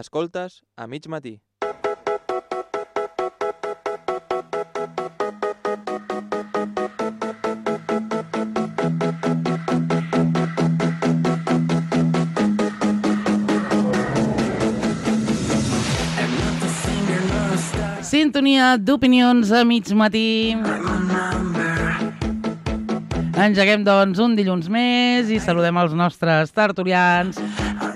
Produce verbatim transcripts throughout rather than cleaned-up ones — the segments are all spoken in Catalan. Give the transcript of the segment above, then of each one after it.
Escoltes a mig matí. Sintonia d'opinions a mig matí. Engeguem, doncs, un dilluns més i saludem els nostres tertulians.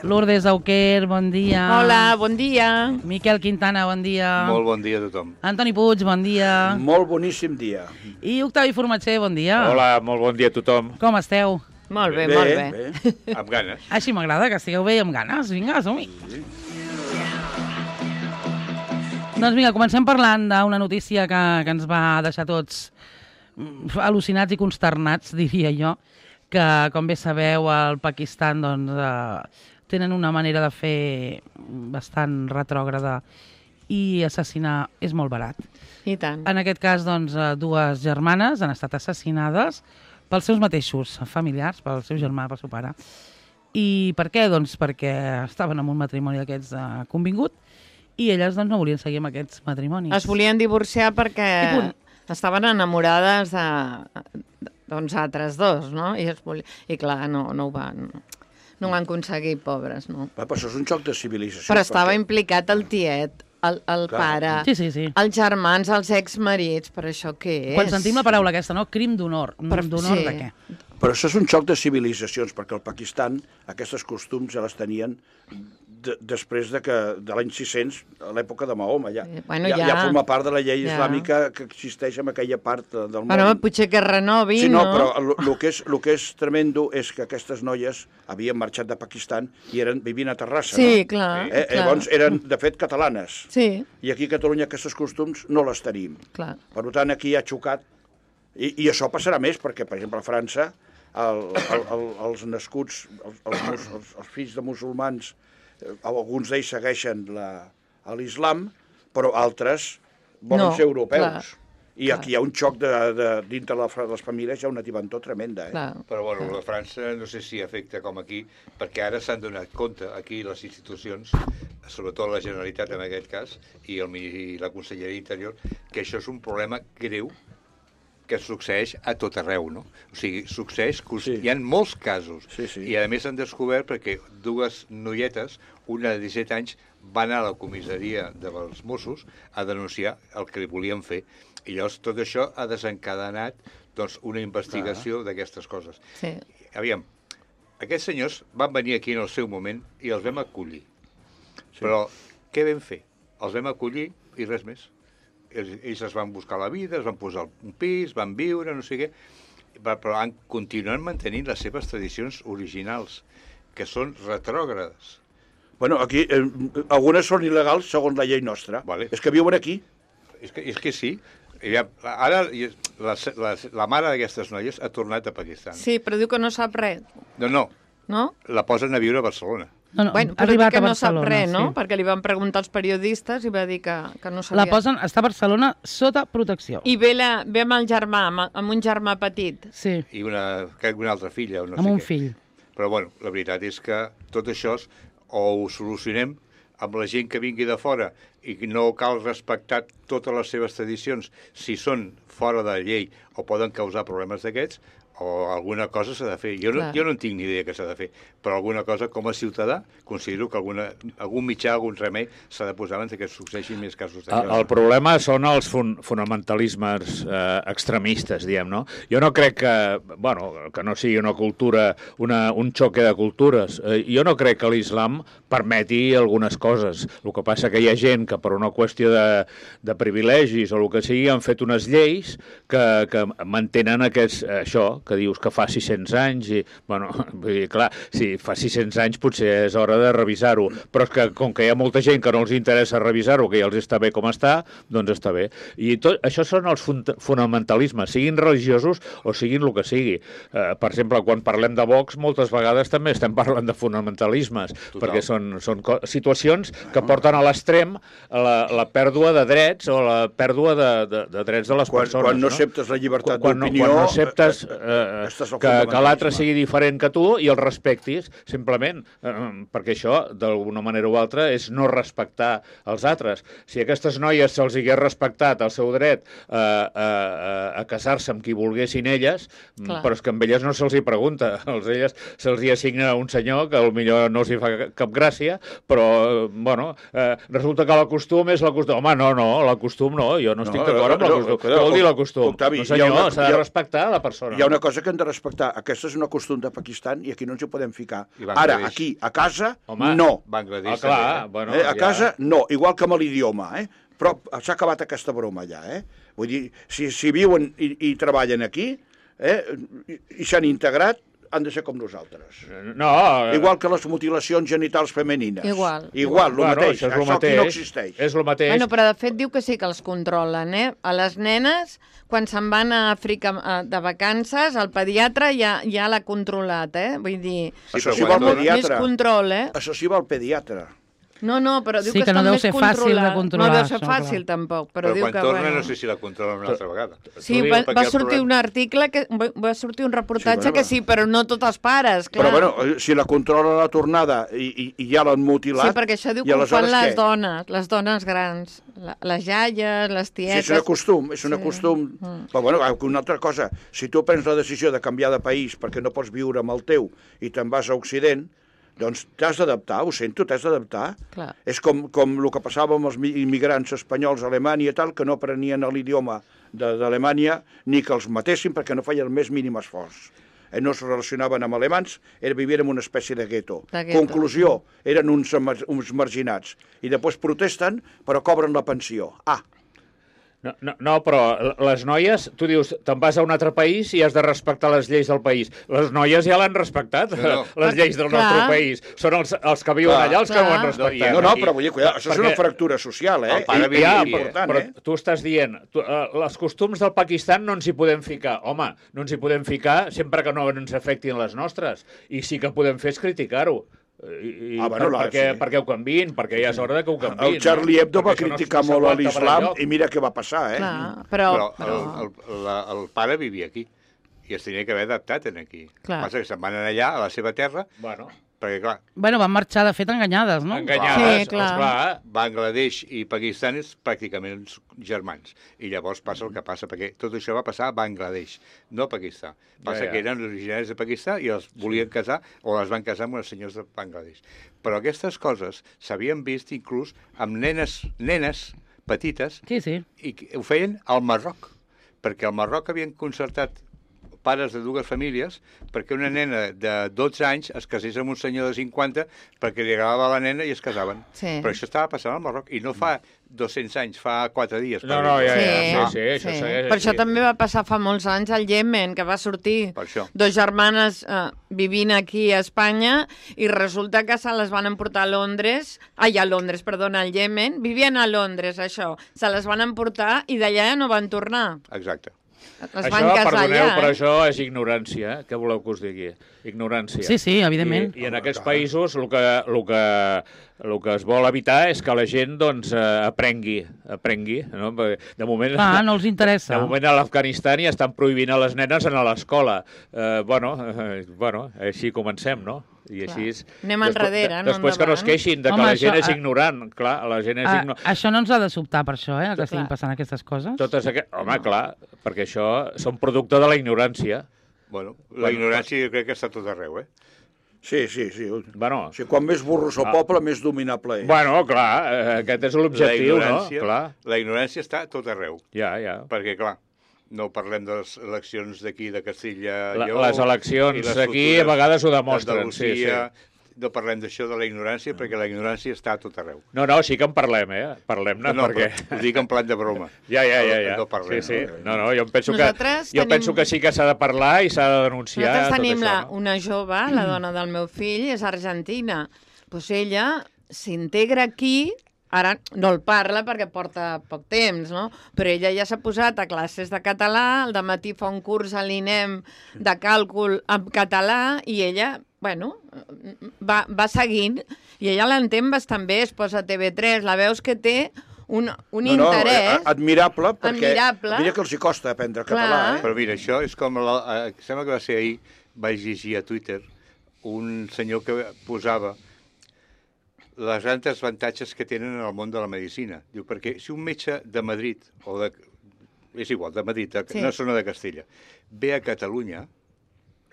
Lourdes Auquer, bon dia. Hola, bon dia. Miquel Quintana, bon dia. Molt bon dia a tothom. Antoni Puig, bon dia. Molt boníssim dia. I Octavi Formatger, bon dia. Hola, molt bon dia a tothom. Com esteu? Molt bé, Bé, molt bé. bé. Amb ganes. Així m'agrada, que estigueu bé i amb ganes. Vinga, som-hi. Sí. Doncs vinga, comencem parlant d'una notícia que, que ens va deixar tots al·lucinats i consternats, diria jo, que, com bé sabeu, al Pakistan doncs, eh, tenen una manera de fer bastant retrògrada i assassinar és molt barat. I tant. En aquest cas, doncs, eh, dues germanes han estat assassinades pels seus mateixos familiars, pel seu germà, pel seu pare. I per què? Doncs perquè estaven en un matrimoni d'aquests eh, convingut i elles doncs, no volien seguir amb aquests matrimonis. Es volien divorciar perquè I punt. estaven enamorades de, doncs, altres dos, no? I, es volia... I clar, no, no ho van... No ho van aconseguir, pobres, no? Va, però això és un xoc de civilització. Però estava perquè... implicat el tiet, el, el Clar. pare, Sí, sí, sí. els germans, els exmarits, per això què és? Quan sentim la paraula aquesta, no? Crim d'honor. Per- D'honor sí. de què? Però això és un xoc de civilitzacions, perquè al Pakistan aquestes costums ja les tenien de, després de que de l'any sis-cents, a l'època de Mahoma. Ja, Eh, bueno, ja, ja. ja forma part de la llei Ja. islàmica que existeix en aquella part del món. Bueno, potser que renovin, Sí, no, no? però el que, és, lo que és tremendo és que aquestes noies havien marxat de Pakistan i eren vivint a Terrassa, Sí, no? clar, Eh, clar. llavors eren, de fet, catalanes. Sí, I aquí a Catalunya aquests costums no les tenim. clar. Per tant, aquí ha xocat. I, i això passarà més, perquè, per exemple, a França, el, el, el, els nascuts, els, els, mus- els, els fills de musulmans, eh, alguns d'ells segueixen la- l'islam, però altres volen No, ser europeus. clar, I clar. aquí hi ha un xoc de, de, dintre la, fra- les famílies, hi ha una tibantor tremenda. Eh? clar. Però bueno, la França no sé si afecta com aquí, perquè ara s'han donat compte, aquí les institucions, sobretot la Generalitat en aquest cas, i, el, i la Conselleria d'Interior, que això és un problema greu que succeeix a tot arreu, no? O sigui, succeeix, Sí. hi ha molts casos, Sí, sí. i a més han descobert perquè dues noietes, una de disset anys, van anar a la comissaria dels Mossos a denunciar el que li volien fer. I llavors tot això ha desencadenat doncs, una investigació d'aquestes coses. Sí. Aviam, aquests senyors van venir aquí en el seu moment i els vam acollir. Sí. Però què vam fer? Els vam acollir i res més. Ells, ells es van buscar la vida, es van posar un pis, van viure, no sé què, va- però han, continuen mantenint les seves tradicions originals, que són retrògrades. Bueno, aquí eh, algunes són il·legals segons la llei nostra. Vale. És que viuen aquí. És que, és que sí. Ja, ara la, la, la mare d'aquestes noies ha tornat a Pakistan. Sí, però diu que no sap res, No, no, no? la posen a viure a Barcelona. No, no, Bueno, ha però diu arribat que a no sap Barcelona, res, no? sí. Perquè li van preguntar als periodistes i va dir que, que no sabia. La posen, està a Barcelona sota protecció. I ve, la, ve amb el germà, amb, amb un germà petit. Sí, I una, crec que una altra filla, o no amb sé un què. fill. Però, bueno, la veritat és que tot això és- o ho solucionem amb la gent que vingui de fora i que no cal respectar totes les seves tradicions si són fora de la llei o poden causar problemes d'aquests, o alguna cosa s'ha de fer. Jo no, Clar. jo no en tinc ni idea què s'ha de fer, però alguna cosa, com a ciutadà, considero que alguna, algun mitjà, algun remei s'ha de posar abans que succeeixin més casos El, d'aquests. el problema són els fun fonamentalismes eh, extremistes, diguem, no? Jo no crec que, bueno, que no sigui una cultura, una, un xoque de cultures. Eh, jo no crec que l'islam permeti algunes coses. El que passa que hi ha gent que per una qüestió de, de privilegis o el que sigui han fet unes lleis que, que mantenen aquests, això, que dius que fa sis-cents anys i, bueno, vull dir, clar, si fa sis-cents anys potser és hora de revisar-ho, però és que com que hi ha molta gent que no els interessa revisar-ho, que ja els està bé com està, doncs està bé. I tot, això són els fun fonamentalismes, siguin religiosos o siguin el que sigui. Eh, per exemple, quan parlem de Vox, moltes vegades també estem parlant de fonamentalismes, Total. perquè són, són situacions que porten a l'extrem la, la pèrdua de drets o la pèrdua de, de, de drets de les Quan, persones. quan no no? acceptes la llibertat quan, no, d'opinió... quan no acceptes eh, eh, Aquest és el que, que l'altre fonamentalisme. sigui diferent que tu i el respectis, simplement, eh, perquè això, d'alguna manera o altra, és no respectar els altres. Si a aquestes noies se'ls hagués respectat el seu dret eh, a, a, a casar-se amb qui volguessin elles, Clar. però és que amb elles no se'ls hi pregunta. Els elles se'ls hi assigna un senyor que potser no els hi fa cap gràcia, però, eh, bueno, eh, resulta que l'acostum és l'acostum. Home, no, no, l'acostum no, jo no, no estic d'acord amb l'acostum. Què vol dir l'acostum? Octavi, No, senyor, una- s'ha hi de ha- respectar la persona. Hi ha una cosa que hem de respectar. Aquesta és una costum de Pakistan i aquí no ens hi podem ficar. I Bangladesh. Ara, aquí, a casa, Home, no. Ah, Bangladesh clar, també, eh? bueno, Eh, a ja- casa, no. Igual que amb l'idioma, eh? Però s'ha acabat aquesta broma ja, eh? Vull dir, si, si viuen i, i treballen aquí eh? i, i s'han integrat, han de ser com nosaltres. No, eh, Igual que les mutilacions genitals femenines. Igual. Igual, el bueno, mateix. Això és el Això aquí mateix. no existeix. És el mateix. Bueno, però de fet diu que sí que els controlen, eh? A les nenes, quan se'n van a Àfrica eh, de vacances, el pediatre ja, ja l'ha controlat, eh? Vull dir, Sí, Això però sí quan va al molt tornen- més pediatre. control, eh? Això sí va al pediatre. No, no, però diu Sí, que, que no estan deu més ser fàcil de controlats. controlar, No deu ser això, fàcil, clar. tampoc, però, Però diu quan que, torna bueno... no sé si la controlen una altra vegada. Sí, T'ho dic va, perquè va el sortir problema- un article, que va va sortir un reportatge Sí, bueno, que sí, però no tots els pares, clar. Però, bueno, si la controla la tornada i, i, i ja l'han mutilat... Sí, perquè això diu i que ho fan aleshores les què? dones, les dones grans, la, les jaies, les Sí, tietes... és un costum, és un Sí. costum... Mm. Però, bueno, una altra cosa, si tu prens la decisió de canviar de país perquè no pots viure amb el teu i te'n vas a Occident, doncs t'has d'adaptar, ho sento, t'has d'adaptar. Clar. És com, com el que passava amb els mi- immigrants espanyols a Alemanya i tal, que no aprenien l'idioma de- d'Alemanya ni que els matessin perquè no feien el més mínim esforç. Eh, no es relacionaven amb alemans, era, vivien en una espècie de gueto. De gueto. Conclusió, eren uns, emer- uns marginats. I després protesten, però cobren la pensió. Ah, No, no, no, però les noies, tu dius, te'n vas a un altre país i has de respectar les lleis del país. Les noies ja l'han respectat, No, no. les lleis del Clar. nostre país. Són els, els que viuen Clar. allà els que Clar. ho han No, respectat. i- no, no, i- però vull dir, cuidado, això és perquè- una fractura social, eh? El pare I- vivia Ja, i aquí, important, però eh? tu estàs dient, tu, uh, els costums del Pakistan no ens hi podem ficar. Home, no ens hi podem ficar sempre que no ens afectin les nostres. I sí que podem fer és criticar-ho. I, i Ah, bueno, per, la- perquè, sí. perquè ho canviïn, perquè ja és hora de que ho canviïn. El Charlie Hebdo no? va Perquè això no es- criticar no molt a s'aguanta per l'islam enlloc. i mira què va passar, eh? Clar, però... Però però... el, el, la, el pare vivia aquí i es tenia que haver adaptat en aquí. Clar. Passa que se'n van anar allà, a la seva terra, Bueno, perquè, clar, Bueno, van marxar, de fet, enganyades, no? enganyades, Sí, clar. esclar. Bangladesh i Pakistan és pràcticament uns germans. I llavors passa el que passa, perquè tot això va passar a Bangladesh, no a Pakistan. Passa Ja, ja. que eren originaris de Pakistan i els volien casar o les van casar amb els senyors de Bangladesh. Però aquestes coses s'havien vist inclús amb nenes, nenes petites Sí, sí. i que ho feien al Marroc, perquè al Marroc havien concertat pares de dues famílies perquè una nena de dotze anys es casés amb un senyor de cinquanta perquè li agradava la nena i es casaven. Sí. Però això estava passant al Marroc i no fa dos-cents anys, fa quatre dies. No, no, ja, Sí, ja, sí, sí, això segueix Per això així. també va passar fa molts anys al Iemen, que va sortir Per això. dos germanes eh, vivint aquí a Espanya i resulta que se les van emportar a Londres, ai, a Londres, perdona, al Iemen, vivien a Londres, això, se les van emportar i d'allà ja no van tornar. Exacte. Les Això, van casar perdoneu, allà. però eh? això és ignorància, eh? Què voleu que us digui? Ignorància. Sí, sí, evidentment. I, i en aquests països el que, el, que, el que es vol evitar és que la gent doncs, eh, aprengui, aprengui, no? Perquè de moment... Ah, no els interessa. De moment a l'Afganistan ja estan prohibint a les nenes anar a l'escola. Eh, bueno, eh, bueno, així comencem, no? I així és... Anem enrere, no Després que no es endavant. queixin de que Home, la gent això, és ah, ignorant. Clar, la gent és Ah, ignorant. això no ens ha de sobtar per això, eh, que estiguin Clar. passant aquestes coses. Totes aqu... Home, clar, perquè això són producte de la ignorància. Bueno, la ignorància jo crec que està a tot arreu, eh? Sí, sí, sí. O Bueno, sigui, quan més burros al poble, més dominable és. bueno clar, eh, aquest és La l'objectiu, no? ignorància, Clar, la ignorància està a tot arreu. ja, ja. Perquè, clar, no parlem de les eleccions d'aquí, de Castilla La- Lleó, les eleccions i les aquí futures a vegades ho demostren, sí, d'Andalusia. No parlem d'això, de la ignorància, perquè la ignorància està a tot arreu. No, no, sí que en parlem, eh? Parlem-ne, No, perquè... però ho dic en plat de broma. Ja, ja, ja, ja. No parlem. Sí, sí. No, no, jo em penso que, Nosaltres jo tenim- penso que sí que s'ha de parlar i s'ha de denunciar Nosaltres tot tenim això, la, no? una jove, la dona del meu fill, és argentina. Pues ella s'integra aquí, ara no el parla perquè porta poc temps, no? Però ella ja s'ha posat a classes de català, al dematí fa un curs a l'INEM de càlcul en català i ella, bueno, va, va seguint i ella l'entén bastant bé, es posa a T V tres, la veus que té un, un No, no, interès... eh, admirable, perquè Admirable. mira que els hi costa aprendre Clar. català, eh? Però mira, això és com... La, eh, sembla que va ser ahir, vaig llegir a Twitter un senyor que posava les grans avantatges que tenen en el món de la medicina. Diu, perquè si un metge de Madrid, o de... és igual, de Madrid, de, Sí. no zona de Castella, ve a Catalunya,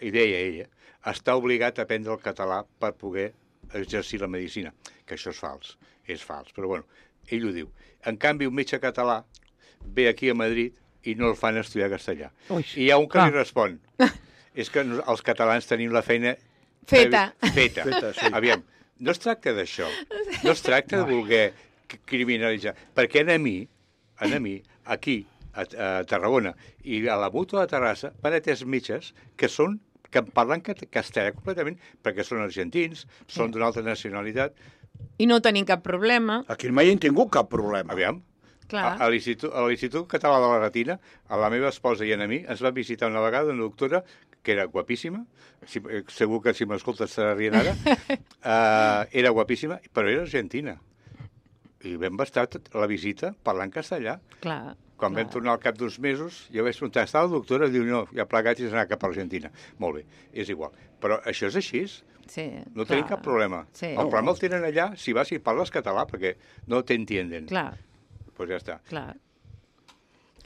i deia ella, està obligat a aprendre el català per poder exercir la medicina, que això és fals, és fals, però bueno, ell ho diu. En canvi, un metge català ve aquí a Madrid i no el fan estudiar castellà. Ui, I hi ha un que clar. li respon, és que nos- els catalans tenim la feina Feta. Feta. Feta, sí. Aviam, no es tracta d'això, no es tracta de voler c- criminalitzar, perquè a mi, a mi, aquí, a, a Tarragona i a la Mútua de Terrassa van atès metges que són que parlen cat- castellà completament perquè són argentins, són d'una altra nacionalitat. I no tenim cap problema. Aquí mai hem tingut cap problema. Aviam, Clar. a, a l'Institut a l'Institut Català de la Retina, a la meva esposa i a mi, ens va visitar una vegada una doctora que era guapíssima, si, eh, segur que si m'escoltes estarà rient ara, uh, era guapíssima, però era argentina. I vam estar tot- la visita parlant castellà. Clar. Quan clar. vam tornar al cap d'uns mesos, jo vaig preguntar, està la doctora? Diu, no, ja plegats i s'ha anat cap a Argentina. Molt bé, és igual. Però això és així, Sí, no clar. tenim cap problema. Sí. El problema el tenen allà, si vas i parles català, perquè no t'entienden. Clar, Pues ja està. clar.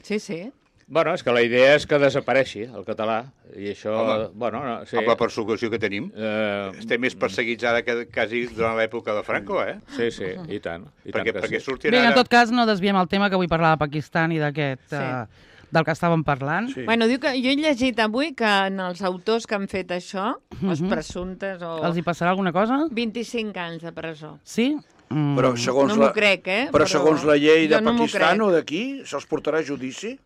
Sí, sí. Bueno, és que la idea és que desapareixi el català, i això, Home, bueno, no, sí. Amb la persecució que tenim, Eh, estem més perseguits ara que quasi durant l'època de Franco, eh? sí, sí, i tant. I Perquè, tant que perquè sí. surtin Bé, en ara... tot cas, no desviem el tema, que avui parlava de Pakistan i d'aquest... Sí. eh, del que estàvem parlant. Sí. Bueno, diu que jo he llegit avui que en els autors que han fet això, els Mhm. presumptes o... Els hi passarà alguna cosa? vint-i-cinc anys de presó. Sí? Mm. Però segons, No m'ho la, crec, eh? però Però segons la llei de jo no m'ho Pakistan crec. o d'aquí, se'ls portarà a judici?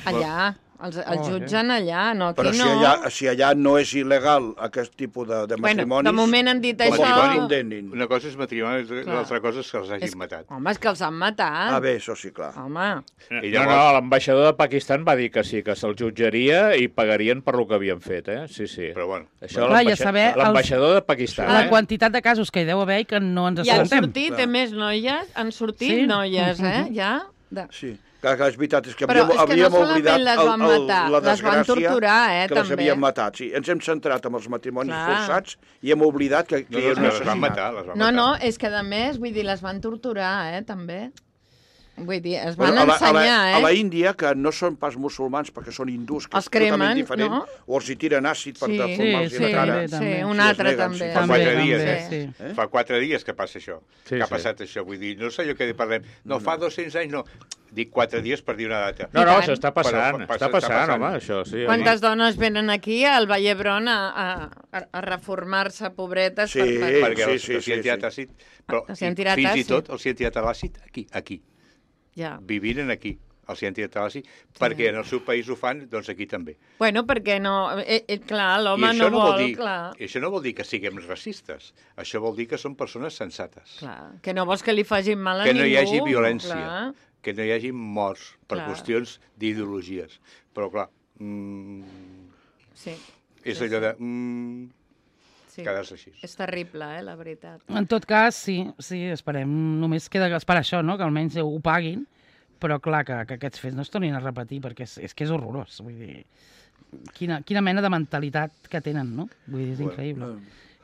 Allà, els, els Oh, jutgen allà, no aquí Però si no. allà, si allà no és il·legal aquest tipus de, de Bueno, matrimonis... de moment han dit com això. els hi condenin. Una cosa és matrimoni, l'altra cosa és que els hagin És... matat. Home, és que els han matat. Ah, bé, això sí, clar. Home, I No, llavors- no, l'ambaixador de Pakistan va dir que sí, que se'l jutjaria i pagarien per lo que havien fet, eh? Sí, sí. Però bueno, Això Clar, l'ambaixa- ja saber els- l'ambaixador de Pakistan, La eh? quantitat de casos que hi deu haver i que no ens i han assabentem. sortit, Clar. a més, noies, han sortit Sí? noies, eh? Ja? De... Sí, clar, clar, és veritat, és que Però havíem, és que no havíem solament oblidat les el, van el, matar, la les van desgràcia torturar, eh, que les també. havien matat. Sí, ens hem centrat en els matrimonis Clar. forçats i hem oblidat que, que no, hi no, ha un les van assassinat. matar, les van No, matar. no, és que a més, vull dir, les van torturar, eh, també. Vull dir, es van Bueno, a, la, a, ensenyar, la, a la eh? Índia, que no són pas musulmans perquè són hindús, que Els és totalment cremen, diferent, no? o els hi tiren àcid per Sí, deformar-los sí, la cara. també, sí, també. un Sí, es altre neguen, també. sí, fa També, quatre també, dies, sí. eh? Eh? Fa quatre dies que passa això, Sí, que ha sí. passat això. Vull dir, no sé jo què parlem. No, fa dos-cents anys, no. Dic quatre dies per dir una data. No, I no, tant. això està passant, Però, està està passant, passant. home, això, sí. Quantes dones venen aquí al Vall d'Hebron a, a, a, a reformar-se, pobretes, Sí, per, per... perquè sí, els, sí, els hi han sí, tirat sí. àcid, però Els hi han i tirat fins i àcid. tot els hi han tirat l'àcid aquí, aquí. Ja. Vivint aquí. Els hi han tirat l'àcid, perquè en el seu país ho fan, doncs aquí també. Bueno, perquè no... Eh, eh, clar, I l'home això no, vol vol, dir, clar. i això no vol dir que siguem racistes. Això vol dir que són persones sensates. Clar, que no vols que li facin mal a Que ningú. no hi hagi violència. Clar. Que no hi hagi morts per Clar. qüestions d'ideologies. Però, clar, mm, Sí, és Sí, allò de... Mm, sí. quedar-se així. És terrible, eh, la veritat. En tot cas, sí, sí, esperem. Només queda esperar això, no?, que almenys ho paguin, però clar, que, que aquests fets no es tornin a repetir, perquè és, és que és horrorós. Vull dir, quina, quina mena de mentalitat que tenen, no? Vull dir, és increïble.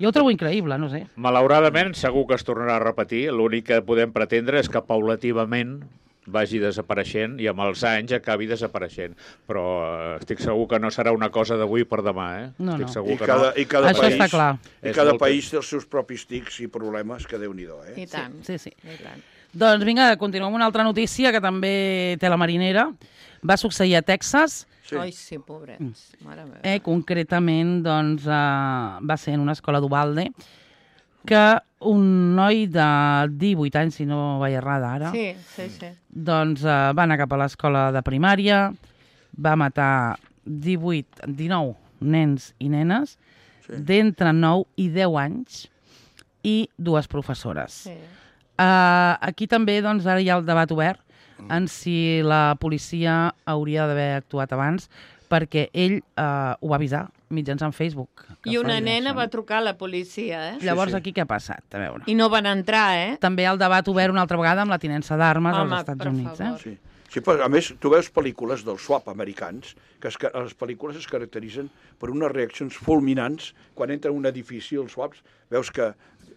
Jo ho trobo increïble, no sé. Malauradament, segur que es tornarà a repetir. L'únic que podem pretendre és que paulativament vagi desapareixent i amb els anys acabi desapareixent. Però eh, estic segur que no serà una cosa d'avui per demà, eh? No, estic no. segur I que cada, no. i cada Això país, està clar. I És cada molt país té els seus propis tics i problemes, que Déu-n'hi-do, eh? I tant. Sí, sí. I tant. Doncs vinga, continuem amb una altra notícia que també té la marinera. Va succeir a Texas, Sí. Ai, sí, pobrets. Mare meva. eh, concretament doncs, eh, va ser en una escola d'Ubalde, que un noi de divuit anys, si no vaig errada ara, Sí, sí, sí. doncs eh, va anar cap a l'escola de primària, va matar divuit, dinou nens i nenes, Sí. d'entre nou i deu anys, i dues professores. sí. Uh, aquí també doncs, ara hi ha el debat obert en si la policia hauria d'haver actuat abans, perquè ell uh, ho va avisar mitjançant Facebook. I una feia nena això. va trucar a la policia, eh? Llavors, sí. aquí què ha passat? A veure. I no van entrar, eh? També el debat obert una altra vegada amb la tinença d'armes Home, als Estats per Units. favor. Eh? Sí. Sí, però a més, tu veus pel·lícules del swap americans, que es, les pel·lícules es caracteritzen per unes reaccions fulminants quan entra en un edifici, els swaps, veus que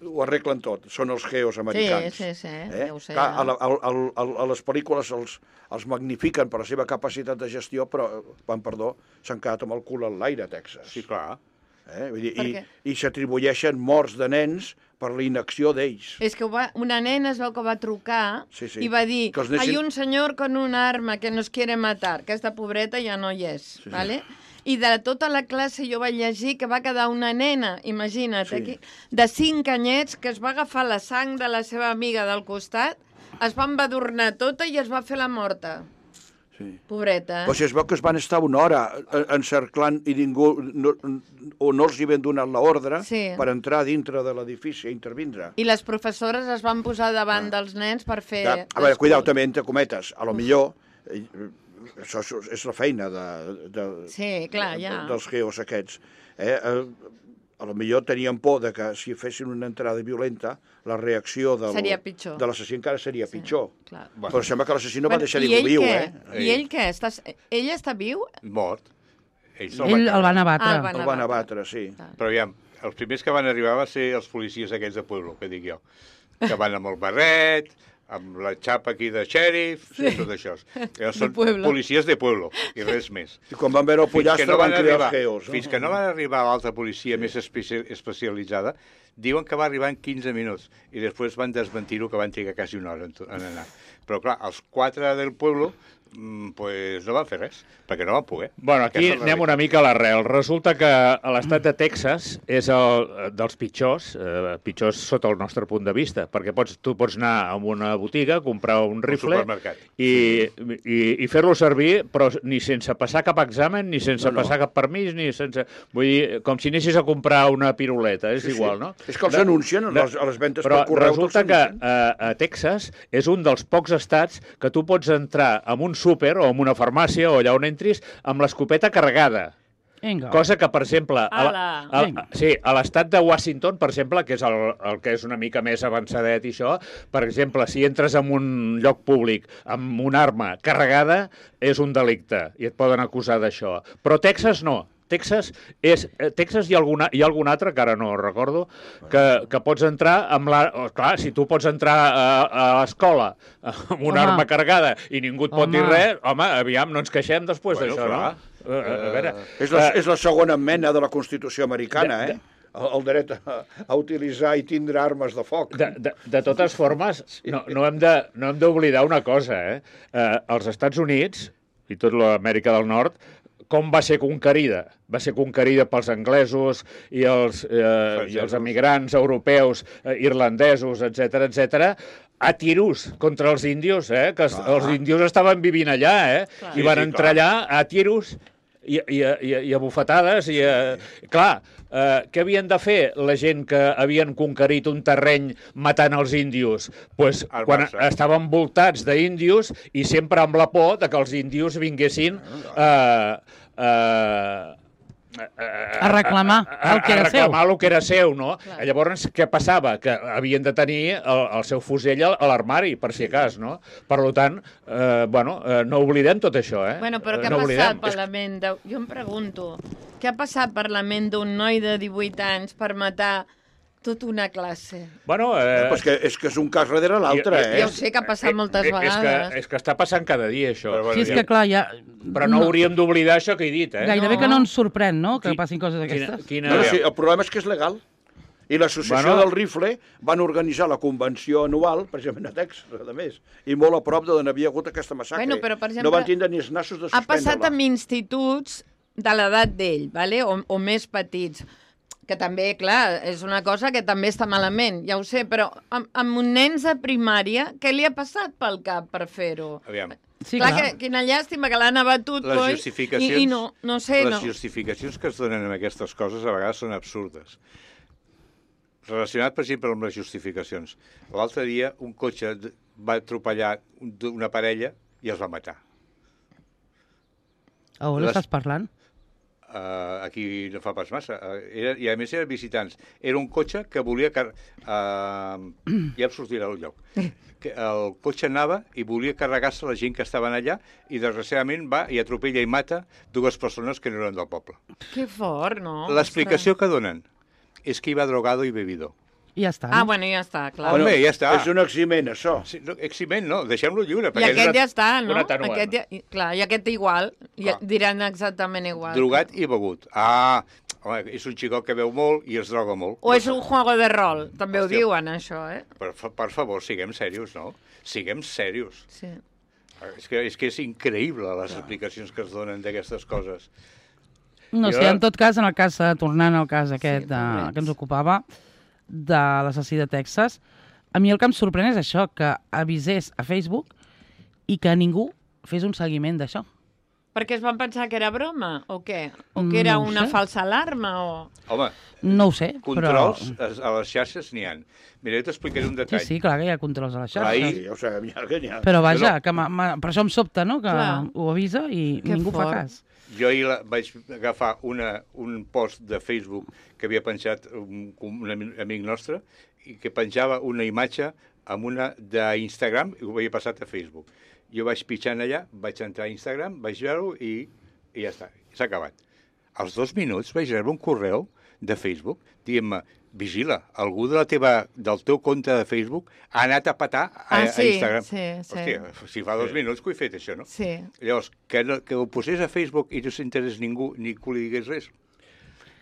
ho arreglen tot, són els geos americans. Sí, sí, sí, eh? ja ho sé. Clar, a, la, a, a, a, a les pel·lícules els, els magnifiquen per la seva capacitat de gestió, però, van, perdó, s'han quedat amb el cul en l'aire a Texas. Sí, clar. Eh? Vull dir, Per I què? i s'atribueixen morts de nens per la inacció d'ells. És que va, una nena es veu que va trucar Sí, sí. i va dir, Que els nens- hay un senyor con un arma que nos quiere matar. Aquesta pobreta ja no hi és, Sí, sí. ¿vale? I de tota la classe jo vaig llegir que va quedar una nena, imagina't, Sí. aquí, de cinc anyets, que es va agafar la sang de la seva amiga del costat, es va embadurnar tota i es va fer la morta. Sí. Pobreta. Però si es veu que es van estar una hora eh, encerclant i ningú no, o no els hi havien donat l'ordre Sí. per entrar dintre de l'edifici a intervindre. I les professores es van posar davant dels nens per fer... Ja, a veure, cuidao també, entre cometes, a lo millor eh, això és- és la feina de, de, Sí, clar, de, ja. dels geos aquests. Eh? Eh, a lo millor tenien por de que si fessin una entrada violenta, la reacció del, Seria pitjor. de l'assassí encara seria sí. pitjor. Clar. Però sembla que l'assassí no va Bueno, deixar i ningú ell viu, què? eh? I ell què? Està... Ell està viu? Mort. Ells Ell el van abatre. Ah, el van El van abatre. abatre, sí. Però ja, els primers que van arribar van ser els policies aquells de Pueblo, que dic jo, que van amb el barret, amb la xapa aquí de xèrif, sí. tot això. Llavors són Pueblo. policies de Pueblo, i res més. I quan van veure el Fins que pollastre no van van cridar arribar, els geos. No? fins que no van arribar l'altra policia més especi especialitzada, diuen que va arribar en quinze minuts i després van desmentir-ho, que van trigar quasi una hora en, to- en anar. Però clar, els quatre del pueblo mm, pues no van fer res, perquè no van poder. Bueno, aquí Aquesta és la anem una mica a l'arrel. Resulta que a l'estat de Texas és el dels pitjors, eh, pitjors sota el nostre punt de vista, perquè pots, tu pots anar a una botiga, comprar un rifle supermercat. i, i, i fer-lo servir, però ni sense passar cap examen, ni sense No, no. passar cap permís, ni sense... Vull dir, com si anessis a comprar una piruleta, és Sí, sí. igual, no? És que els anuncien a les, a les ventes Però per correu. resulta te'ls que anuncien. a, a Texas és un dels pocs estats que tu pots entrar en un súper o en una farmàcia o allà on entris amb l'escopeta carregada. Vinga. Cosa que, per exemple, a, la- Ala. a, Vinga. sí, a l'estat de Washington, per exemple, que és el, el que és una mica més avançadet i això, per exemple, si entres en un lloc públic amb una arma carregada, és un delicte i et poden acusar d'això. Però Texas no. Texas, és, eh, Texas hi ha, alguna, hi ha algun altre, que ara no recordo, que, que pots entrar amb la... Oh, clar, si tu pots entrar a, a l'escola amb una Home. arma carregada i ningú et pot Home. dir res, home, aviam, no ens queixem després Bueno, d'això, clar. no? Uh, a veure... És la, eh, és la segona mena de la Constitució americana, de- eh? El, el dret a, a utilitzar i tindre armes de foc. De, de, de totes formes, no, no hem de- no hem d'oblidar una cosa, eh? eh? Els Estats Units, i tot l'Amèrica del Nord, com va ser conquerida? Va ser conquerida pels anglesos i els, eh, i els emigrants europeus, eh, irlandesos, etc etc, a tiros contra els índios, eh? Que els, els índios estaven vivint allà, eh? Clar. I Sí, van sí, entrar clar. allà a tiros i, i, a- i, a- i a bufetades i a... Clar, eh, què havien de fer la gent que havien conquerit un terreny matant els índios? Pues, Armar-se. quan estaven voltats d'índios i sempre amb la por de que els índios vinguessin eh, eh, A reclamar el que era a reclamar seu. el que era seu, no? Clar. Llavors, què passava? Que havien de tenir el, el seu fusell a a l'armari, per si cas, no? Per tant, eh, bueno, eh, no oblidem tot això, eh? Bueno, però Eh, què no ha passat oblidem. per la ment de... Jo em pregunto, què ha passat per la ment d'un noi de divuit anys per matar tota una classe? Bueno, eh, Pues que, és que és un cas darrere l'altre, I- i- eh? Ja ho sé que ha passat moltes és vegades. Que, és que està passant cada dia, això. Però bueno, Sí, és ja- que clar, ja... Però no hauríem d'oblidar això que he dit, eh? Gairebé No. que no ens sorprèn, no?, que Qui- passin coses Quina, d'aquestes. quina... No, no, sí, el problema és que és legal. I l'associació Bueno. del rifle van organitzar la convenció anual, precisament a Texas, a més, i molt a prop d'on havia hagut aquesta massacre. Bueno, però, per exemple, no van tindre ni els nassos de Ha passat suspendre-la. amb instituts de l'edat d'ell, vale? o, o més petits, que també, clar, és una cosa que també està malament, ja ho sé, però amb, amb un nens de primària, què li ha passat pel cap per fer-ho? Aviam, Sí, clar, clar. que, quina llàstima que l'han abatut, les coi, justificacions, i, i no, no sé, les no. justificacions que es donen amb aquestes coses a vegades són absurdes. Relacionat, per exemple, amb les justificacions. L'altre dia un cotxe d- va atropellar un- una parella i els va matar. A on Les- estàs parlant? uh, aquí no fa pas massa, uh, era, i a més eren visitants. Era un cotxe que volia... Car uh, ja em sortirà el lloc. Que el cotxe anava i volia carregar-se la gent que estaven allà i desgraciadament va i atropella i mata dues persones que no eren del poble. Que fort, no? L'explicació que donen és que hi va drogado i bebido. I ja està. Ah, No? bueno, ja està, clar. Bueno, Home, ja està. És un eximent, això. Sí, no, eximent, no, deixem-lo lliure. I aquest és ja està, no? una atenuant. Aquest ja, clar, i aquest igual. I Ah. diran exactament igual. drogat i begut. Ah, home, és un xicot que beu molt i es droga molt. O és un juego de rol, també Hòstia. ho diuen, això, eh? Per, fa- per favor, siguem serios, no? Siguem serios. Sí. És que és, que és increïble les explicacions que es donen d'aquestes coses. No Jo- sé, en tot cas, en el cas, eh, tornant al cas aquest Sí, de, pobrets. que ens ocupava, de l'assassí de Texas, a mi el que em sorprèn és això, que avisés a Facebook i que ningú fes un seguiment d'això. Perquè es van pensar que era broma, o què? O No que era ho una sé. falsa alarma, o... Home, No ho sé, controls però... a, a les xarxes n'hi ha. Mira, jo t'explicaré un Sí, detall. sí, clar que hi ha controls a les xarxes. Ahir- Sí, ja ho sabem, ja, que n'hi ha. Però vaja, No, no. que ma, ma, per això em sobta, no?, que Clar. ho avisa i Que ningú fa fort. cas. Jo ahir la, vaig agafar una, un post de Facebook que havia penjat un, un ami- amic nostre i que penjava una imatge amb una d'Instagram i ho havia passat a Facebook. Jo vaig pitjant allà, vaig entrar a Instagram, vaig veure-ho i, i ja està, s'ha acabat. Als dos minuts vaig rebre un correu de Facebook dient-me, vigila, algú de la teva, del teu compte de Facebook ha anat a petar a, Ah, a sí, Instagram. sí, sí. Hòstia, si fa dos minuts que ho he fet, això, no? Sí. Llavors, que, no, que ho posés a Facebook i no s'interés ningú ni que li digués res.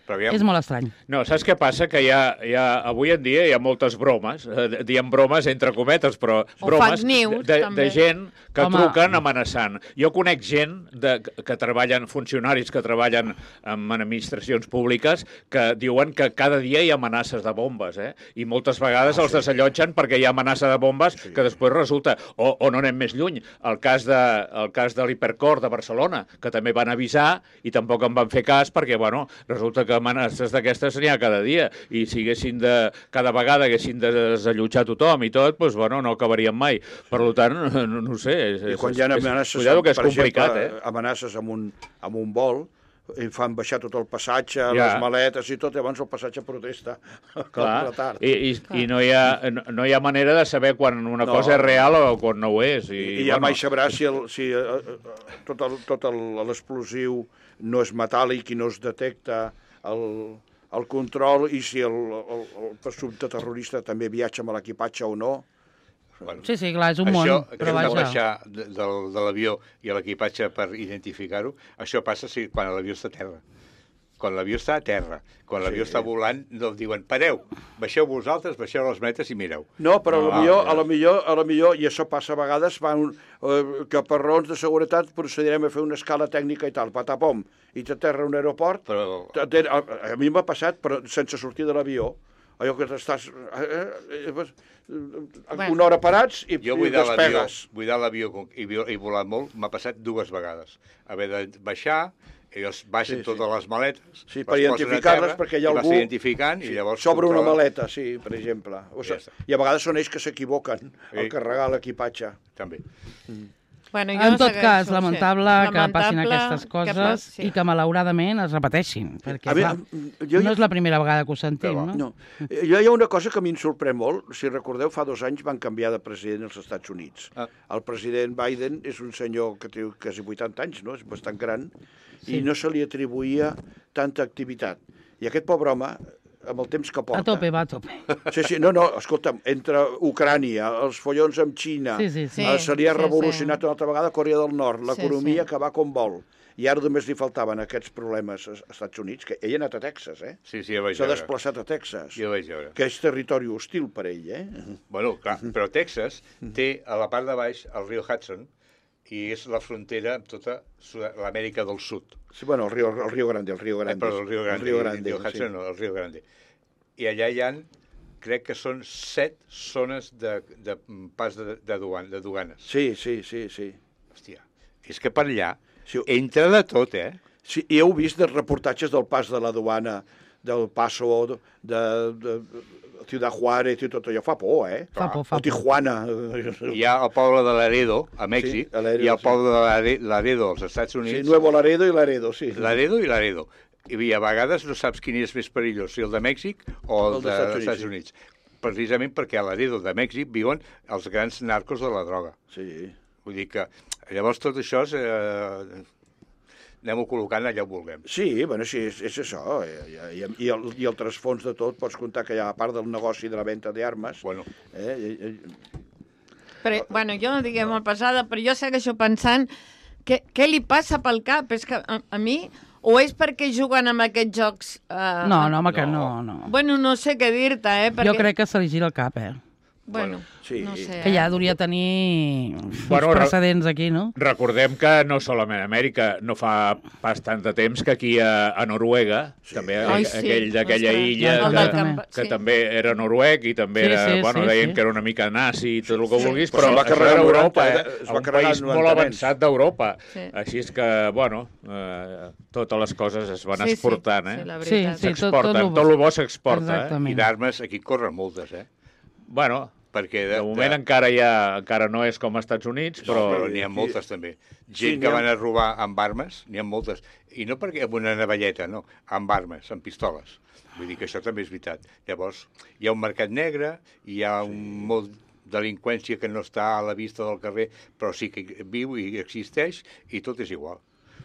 Però aviam, És molt estrany. No, saps què passa? Que hi ha, hi ha, avui en dia hi ha moltes bromes, eh, diem bromes entre cometes, però O bromes fake news, de, també. de gent que Home. truquen amenaçant. Jo conec gent de, que treballen, funcionaris que treballen en administracions públiques, que diuen que cada dia hi ha amenaces de bombes, eh? I moltes vegades Ah, els desallotgen perquè hi ha amenaça de bombes Sí. que després resulta, o, o no anem més lluny, el cas de, el cas de l'Hipercor de Barcelona, que també van avisar i tampoc en van fer cas perquè, bueno, resulta que amenaces d'aquestes n'hi ha cada dia i si haguessin de, cada vegada haguessin de desallotjar tothom i tot, doncs, bueno, no acabarien mai. Per tant, no, no ho sé. És, I quan és- hi ha és- amenaces, Cuidado que és per complicat, exemple, eh? amenaces amb un, amb un vol, i fan baixar tot el passatge, Ja. les maletes i tot, i abans el passatge protesta. Clar, El retard. i, i, i no, hi ha, no, no hi ha manera de saber quan una No. cosa és real o quan no ho és. I, I, i ja mai sabràs si, el, si eh, eh, tot el- tot el- l'explosiu no és metàl·lic i no es detecta el, el control i si el, el, el presumpte terrorista també viatja amb l'equipatge o no. bueno, Sí, sí, clar, és un això, món, que però hem de vaja. baixar de, de, de l'avió i a l'equipatge per identificar-ho, això passa si, quan l'avió està a terra. Quan l'avió està a terra, quan l'avió Sí. està volant, no diuen, pareu, baixeu vosaltres, baixeu les metes i mireu. No, però No, a, lo millor, ja. a, lo millor, a lo millor, i això passa a vegades, van, eh, que per raons de seguretat procedirem a fer una escala tècnica i tal, patapom, i t'aterra a un aeroport. Però A, a, a mi m'ha passat, però sense sortir de l'avió, allò que estàs eh, eh, eh, Bueno. una hora parats i, jo i buidar l'avió, despegues. buidar l'avió com- i, vi- i volar molt m'ha passat dues vegades. Haver de baixar, ells baixen Sí, sí. totes les maletes, Sí, les per posen a identificar-les, terra perquè hi ha i vas algú- identificant i llavors Sobre una controla. maleta, sí, per exemple. O Ja sigui, està. I a vegades són ells que s'equivoquen al Sí. carregar l'equipatge. També. Bueno, jo En tot segueixo, cas, sí. lamentable, que passin Lamentable aquestes que coses pas- sí. i que malauradament es repeteixin, perquè A clar, veure, jo, no és la primera vegada que ho sentim, va. no? No. Eh, Jo hi ha una cosa que a mi em sorprèn molt. Si recordeu, fa dos anys van canviar de president als Estats Units. Ah. El president Biden és un senyor que té quasi vuitanta anys, no? És bastant gran, Sí. i no se li atribuïa tanta activitat. I aquest pobre home, amb el temps que porta... A tope, va a tope. Sí, sí, no, no, escolta'm, entre Ucrània, els follons amb Xina, Sí, sí, sí. eh, se li ha Sí, revolucionat sí. una altra vegada Corea del Nord, Sí, l'economia sí. que va com vol. I ara només li faltaven aquests problemes als Estats Units, que ell ha anat a Texas, eh? Sí, sí, ja vaig S'ha veure. desplaçat a Texas, Jo vaig veure. que és territori hostil per ell, eh? Bueno, clar, però Texas té a la part de baix el riu Hudson i és la frontera amb tota Sud- l'Amèrica del Sud. Sí, bueno, el Rio, el Rio Grande, el Rio Eh, Grande. però el riu Grande, El Rio Grande, el Hudson sí. no, el riu Grande. I allà hi ha, crec que són set zones de, de pas de, de, duan, de duanes. Sí, sí, sí, sí. Hòstia, és que per allà Sí, entra de tot, eh? sí, heu vist els reportatges del pas de la duana, del Paso, de, de, de Ciudad Juárez i tot allò fa por, eh? Fa por, fa O Tijuana. Hi ha el poble de Laredo, a Mèxic, Sí, a Laredo, i el sí. poble de Lare- Laredo, als Estats Sí, Units. Nuevo Laredo i Laredo, sí. Laredo i Laredo. I a vegades no saps quin és més perillós, si el de Mèxic o el, El de, dels Estats dels Estats Units. Precisament perquè a Laredo de Mèxic viuen els grans narcos de la droga. Sí. Vull dir que llavors tot això és, eh, anem-ho col·locant allà on vulguem. Sí, bueno, sí, és, és això. I, i, i, el, I el trasfons de tot, pots comptar que hi ha a part del negoci de la venda d'armes. Bueno, Eh, i, i, Però, bueno, jo no diguem molt passada, però jo segueixo pensant que, què li passa pel cap? És que a, a mi, o és perquè juguen amb aquests jocs... Eh, No, no, home, que No. no, no. Bueno, no sé què dir-te, eh? Perquè, Jo crec que se li gira el cap, eh? Bueno, Sí. no sé. Que ja eh? hauria tenir uns Bueno, re- precedents aquí, no? Recordem que no solament a Amèrica, no fa pas tant de temps que aquí a, a Noruega, Sí. també Ai, aquell, sí, aquell d'aquella ostres. illa El que, del camp- que sí. també era noruec i també Sí, era, sí, bueno, sí, deien sí. que era una mica nazi i tot el que Sí. vulguis, Però però se'l va això carregar era en Europa, noranta, eh? es va Un carregar país en molt noranta avançat d'Europa. Sí. Així és que, bueno, eh, totes les coses es van Sí, sí, exportant, eh? sí, la Sí, veritat. sí, tot, tot S'exporten, lo bo. tot el bo s'exporta, eh? i Exactament. d'armes aquí corren moltes, eh? Bueno, Perquè de moment encara hi ha, encara no és com als Estats Units, Però, però... però n'hi ha moltes, també. Sí, Gent n'hi que ha- van a robar amb armes, n'hi ha moltes. I no perquè amb una navalleta, no, amb armes, amb pistoles. Vull dir que això també és veritat. Llavors, hi ha un mercat negre, hi ha un molt delinqüència que no està a la vista del carrer, però sí que viu i existeix, i tot és igual.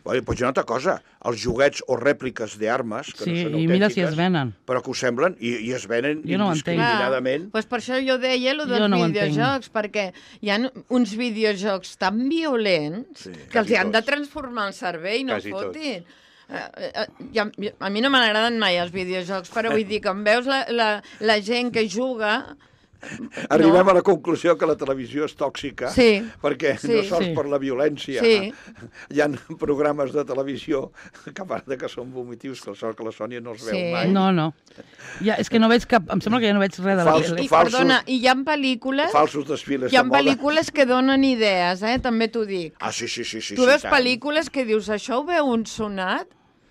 Oi, doncs hi ha una altra cosa, els joguets o rèpliques d'armes, que Sí, no són i mira si autèntiques, es venen. però que ho semblen, i, i es venen Jo no ho entenc. indiscriminadament. Pues per això jo deia lo dels Jo no ho entenc. videojocs, perquè hi ha uns videojocs tan violents Sí, que els hi han de tots. transformar el cervell, no Quasi fotin. Uh, uh, a, a mi no m'han agradat mai els videojocs, però vull dir, quan veus la, la, la gent que juga... Arribem no. a la conclusió que la televisió és tòxica, Sí. perquè Sí. no sols Sí. per la violència. Sí. Hi ha programes de televisió que a part de que són vomitius, que el sort que la Sònia no els veu Sí. mai. No, no. Ja, és que no veig cap... Em sembla que ja no veig res de la Fals- tele. I, falsos- perdona, i hi ha pel·lícules... Falsos desfiles Hi ha de moda. pel·lícules que donen idees, eh? També t'ho dic. Ah, sí, sí, sí. sí Tu sí, veus tant. pel·lícules que dius, això ho veu un sonat?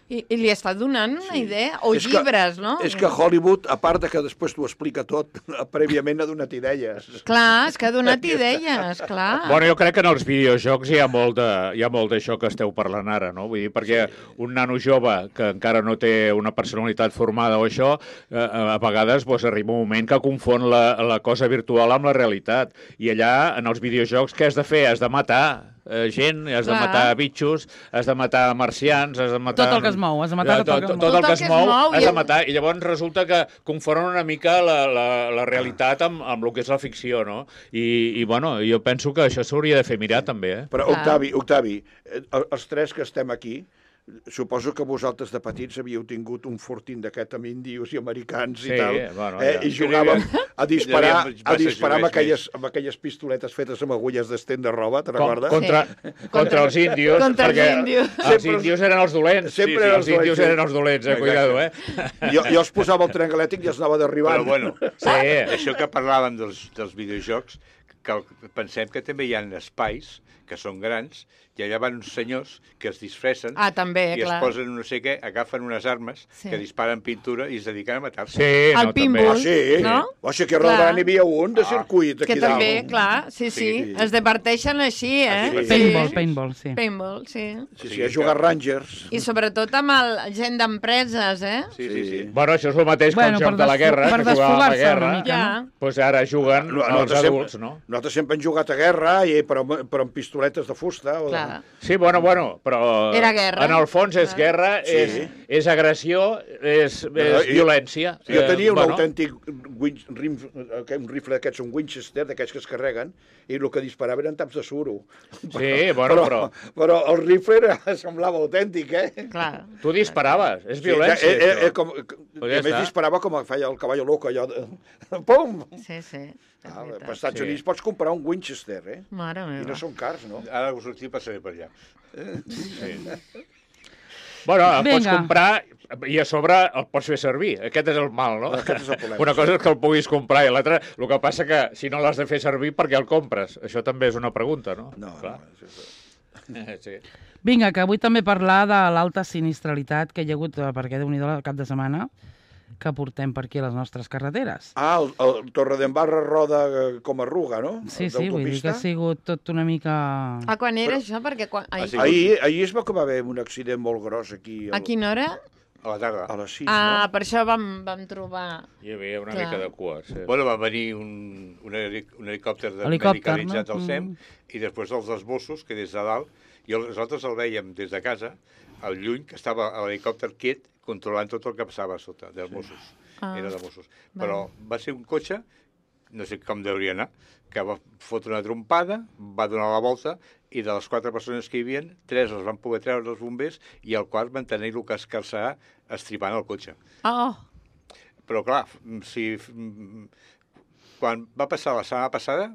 I, i li està donant una Sí. idea. O És que- llibres, no? És que Hollywood, a part de que després t'ho explica tot, prèviament ha donat idees. Clar, és que ha donat idees, clar. Bueno, jo crec que en els videojocs hi ha molt de- hi ha molt d'això que esteu parlant ara, no? Vull dir, perquè un nano jove que encara no té una personalitat formada o això, eh, a vegades doncs, arriba un moment que confon la, la cosa virtual amb la realitat. I allà, en els videojocs, què has de fer? Has de matar eh, gent, has de Clar. matar bitxos, has de matar marcians, has de matar... Tot el que es mou, has de matar tot el que es mou. Tot el que es mou, has i- de matar. I llavors resulta que confonen una mica la, la, la realitat amb, amb el que és la ficció, no? I, i bueno, jo penso que això s'hauria de fer mirar, també, eh? Però, Clar. Octavi, Octavi, eh, els tres que estem aquí, suposo que vosaltres de petits havíeu tingut un fortín d'aquest amb índios i americans Sí, i tal, bueno, eh? ja. I jugàvem a disparar, Hi havia a disparar amb massa aquelles, amb aquelles pistoletes fetes amb agulles d'estén de roba, te'n Com, recordes? contra, contra els índios. Contra els perquè índios. Els Sempre- índios eren els dolents. Sempre sí, sí, eren els els dolents, índios sí. eren els dolents, eh? Cuidado, eh? Jo, jo els posava el tren elèctric i els anava derribant. Però bueno, Sí. això que parlàvem dels, dels videojocs, que pensem que també hi ha espais que són grans, i allà van uns senyors que es disfressen Ah, també, i clar. es posen no sé què, agafen unes armes Sí. que disparen pintura i es dediquen a matar-se. Sí, El no, pinball. Ah, també. sí? No? O sigui que a Clar. Roldán n'hi havia un de Ah. circuit aquí Que també, dalt. clar, sí, sí, Sí. es diverteixen així, eh? Sí. Paintball, Sí. paintball, sí. Paintball, sí. Sí, sí, Sí, a jugar Rangers. I sobretot amb el, gent d'empreses, eh? Sí, sí, sí. Bueno, això és el mateix que Bueno, el joc per de la desfo- guerra, per que jugàvem a la desfogar-se una guerra. mica. Ja. Doncs pues ara juguen No, els nosaltres adults, sempre, no? Nosaltres sempre hem jugat a guerra, i, però, però amb pistoletes de fusta. O de... Clar. Sí, bueno, bueno, però... Era guerra. En el fons és Clar. guerra, Sí. és, és agressió, és, és jo- violència. Jo tenia un bueno, autèntic win, rim, eh, un rifle d'aquests, un Winchester, d'aquests que es carreguen, i el que disparava eren taps de suro. Sí, bueno, però... Però el rifle era, semblava autèntic, eh? Clar. Tu disparaves, és Sí, violència, eh, eh, eh, això. com, Pues I ja a més està. disparava com feia el cavall loco, allò de... Pum! Sí, sí. és Ah, veritat. per Estats Sí. Units pots comprar un Winchester, eh? Mare I meva. no són cars, no? Ara us sortim i passaré per allà. Bueno, el pots Vinga. comprar i a sobre el pots fer servir. Aquest és el mal, no? Aquest és el problema. Una cosa és que el puguis comprar i l'altra... El que passa que si no l'has de fer servir, per què el compres? Això també és una pregunta, no? No, Clar. no. és- és- Sí. Vinga, que vull també parlar de l'alta sinistralitat que hi ha hagut, eh, perquè déu nhi el cap de setmana, que portem per aquí a les nostres carreteres. Ah, el, el Torredembarra roda eh, com a ruga, no? Sí, sí, vull dir que ha sigut tot una mica... Ah, quan era això? Perquè quan... Ah, Ai, sí. Ahir, ahir es va que va haver un accident molt gros aquí. a quina hora? A la tarda. A les sis, Ah, no? per això vam, vam trobar... Hi havia una Clar. mica de cua, sí. Bueno, va venir un, un, heli- un helicòpter de Helicòpter, medicalitzat no? al SEM Mm. i després els dels Mossos, que des de dalt, i el- nosaltres el veiem des de casa, al lluny, que estava l'helicòpter quiet controlant tot el que passava a sota, dels Mossos. Ah, Era de Mossos. Però va ser un cotxe, no sé com deuria anar, que va fotre una trompada, va donar la volta, i de les quatre persones que hi havia, tres els van poder treure els bombers i el quart van tenir-lo que escarçar estripant el cotxe. Oh, Però, clar, si, quan va passar la setmana passada,